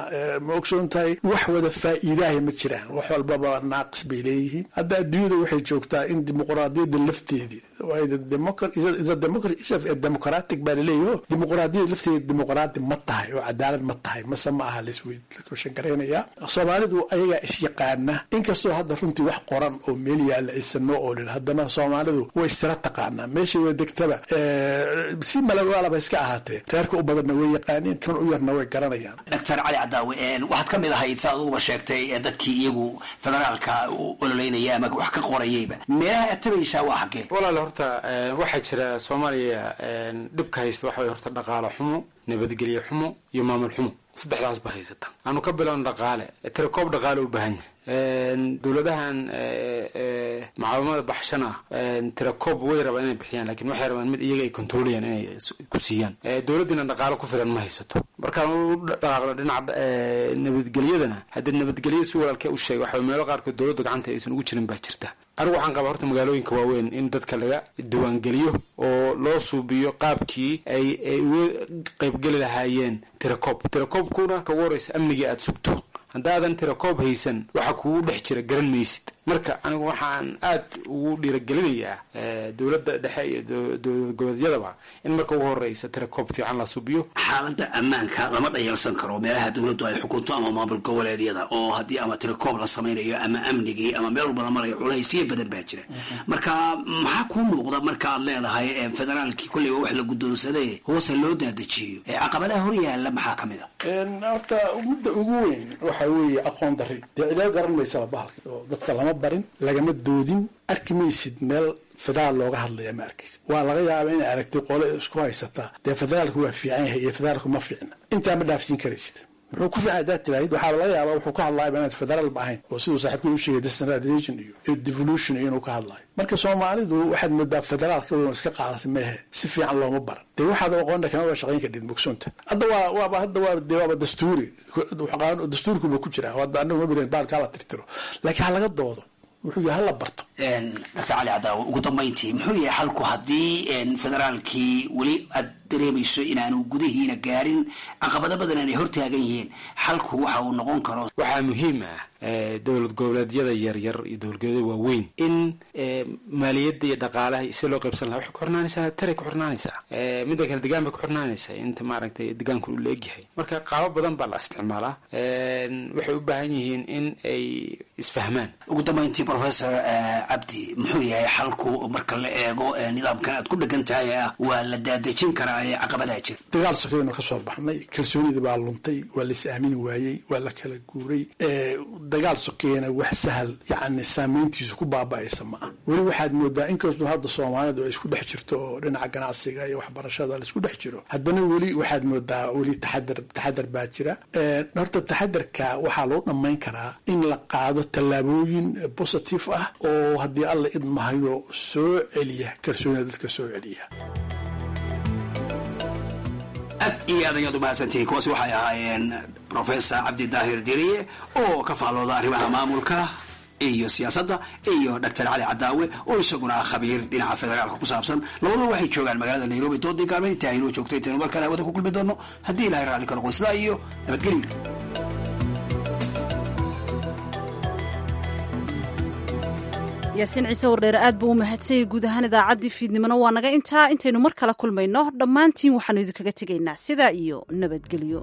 ma ogsoon tahay, wax wada faa'iidaaha ma jiraan, wax walbaba naaqis bay leeyihiin. Hadda adduunyada waxay joogtaa in dimuqraadiyadda lafteedii democratic baa laleeyaho, dimuqraadiyadda lafteedi dimuqraadi ma tahay oo cadaalad ma tahay mase ma aha, laiswshangaraynayaa. Soomaalidu ayagaa isyaqaana, inkastoo hadda runtii wax qoran oo meel yaalla aysan noo oolin, haddana Soomaalidu way istira taqaanaa meeshay way degtaba, si malawaalaba iska ahaatee reerka u badanna way yaqaaneen, kan u yarna way garanayaan. Doctor Cali Cadaawe, waxaad ka mid ahayd, sa aduguba sheegtay, dadkii iyagu federaalka u ololeynaya ama wax ka qorayayba. Meelaha aad tabaysaa waa xaggee? Walaal, horta waxaa jira Soomaaliya dhibka haysta waxa way horta dhaqaalo xumo, nabadgelyo xumo iyo maamul xumo, saddexdaas ba haysata. Aanu ka bilowno dhaqaale. Tirakoob dhaqaale u baahan yahay. Dowladahan mucaawamada baxshana tirakoob way rabaan inay bixiyaan, lakin waxay rabaan mid iyaga ay kontroolayaan inay ku siiyaan. Dowladdiina dhaqaalo ku filan ma haysato. Markaan u dhaqaaqno dhinaca nabadgelyadana, haddii nabadgelyo si walaalkee u sheegay, waxa meelo qaarkood dowladda gacanta aysan ugu jirin baa jirta. Anigu waxaan qabaa horta magaalooyinka waaweyn in dadka laga diiwaangeliyo oo loo suubiyo qaabkii ay ay uga qaybgeli lahaayeen tirakoob. Tirakoobkuna ka ugu horeysa amnigii aada sugto. Haddaadan tirakoob haysan, waxa kugu dhex jira garan maysid. Marka anigu waxaan aad ugu dhiiragelinayaa dowladda dhexe iyo dowlad goboleedyadaba in marka ugu horeysa tirakoob fiican la subiyo. Xaaladda ammaanka lama dhayalsan karo meelaha dowladdu ay xukunto ama maamul goboleedyada, oo haddii ama tirakoob la samaynayo ama amnigii ama meel walba la marayo, culaysyo badan baa jira. Marka maxaa kuu muuqda marka aad leedahay federaalkii kolleyba wax la guddoonsaday hoose loo daadajiyo, caqabadaha hor yaalla maxaa ka mid a? Horta mudda ugu weyn waxa weeye aqoon darri. Dee cidoo garan maysaba bahalka oo dadka lama barin, lagama doodin. Arki maysid meel federaal looga hadlaya, ma arkaysid. Waa laga yaaba inay aragtay qole isku haysataa dee federaalku waa fiican yahay iyo federaalku ma fiicna. Intaa ma dhaafsiin karaysid. Muxuu ku fiican haddaad tiraahid, waxaaba laga yaabaa wuxuu ka hadlaayaba inaad federaal ba ahayn, oo siduu saaxiibkii u sheegay decentralization iyo devolution iyo inuu ka hadlaayo. Marka Soomaalidu waxaad moodaa federaalka weyn iska qaadatay meehe, si fiican looma baran. Dee waxaad aqoonna kama ba shaqayn kadhid mugsoonta. Hadda waa waaba hadda waa dee waaba dastuuri, dastuurkuba ku jiraa. Hadda anagu ma bilayn baalka hala tirtiro, laakiin ha laga doodo wuxuu yahay, hala barto. Doctor Cali Cadaawo, ugu dambayntii muxuu yahay xalku haddii federaalkii weli aad dareemayso inaanu gudihiina gaarin, caqabado badan inay hortaagan yihiin, xalku waxa uu noqon karo? Waxaa muhiim ah dowlad goboleedyada yaryar iyo dowlad goboleedyada waaweyn in maaliyadda iyo dhaqaalaha si loo qaybsan lahaa waxay ku xirnaanaysaa taray ku xirnaanaysaa, midda kale degaan bay ku xirnaanaysaa, inta maaragtay degaanku uu la egyahay. Marka qaabo badan baa la isticmaalaa, waxay u baahan yihiin in ay isfahmaan. Ugu dambayntii, Professor Cabdi, muxuu yahay xalku marka la eego nidaamkan aad ku dhegan tahay ah waa la daadejin karaa ee caqabadaha jira? Dagaal sokeynu ka soo baxnay, kalsoonidii baa luntay, waa la is aamini waayey, waa la kala guuray. Dagaal sokeeyana wax sahal yacni saameyntiisu ku baaba'aysa ma ah. Weli waxaad moodaa inkastoo hadda Soomaalidu ay isku dhex jirto oo dhinaca ganacsiga iyo waxbarashada la isku dhex jiro, haddana weli waxaad moodaa weli taxadar taxadar baa jira. Horta taxadarka waxaa lagu dhammayn karaa in la qaado tallaabooyin positive ah oo haddii Alla idmahayo soo celiya kalsoonida dadka soo celiya. Aad iyo aad ayaad umahadsantihiin. Kuwaasi waxay ahaayeen Professor Cabdi Daahir Diriye oo ka faallooda arrimaha maamulka iyo siyaasadda iyo Doctor Cali Cadaawe oo isaguna ah khabiir dhinaca federaalka ku saabsan. Labaduba waxay joogaan magaalada Nairobi. Doodii gaalme inta aynoo joogto, intaynu mar kale hawada ku kulmi doono haddii Ilahay raalli ka noqdo, sidaa iyo nabadgelyo. Yaasiin Ciise Wardheere aad buu u mahadsanyay. Guud ahaan idaacaddii fiidnimona waa naga intaa. Intaynu mar kale kulmayno, dhammaantiin waxaanu idinkaga tegaynaa sidaa iyo nabadgelyo.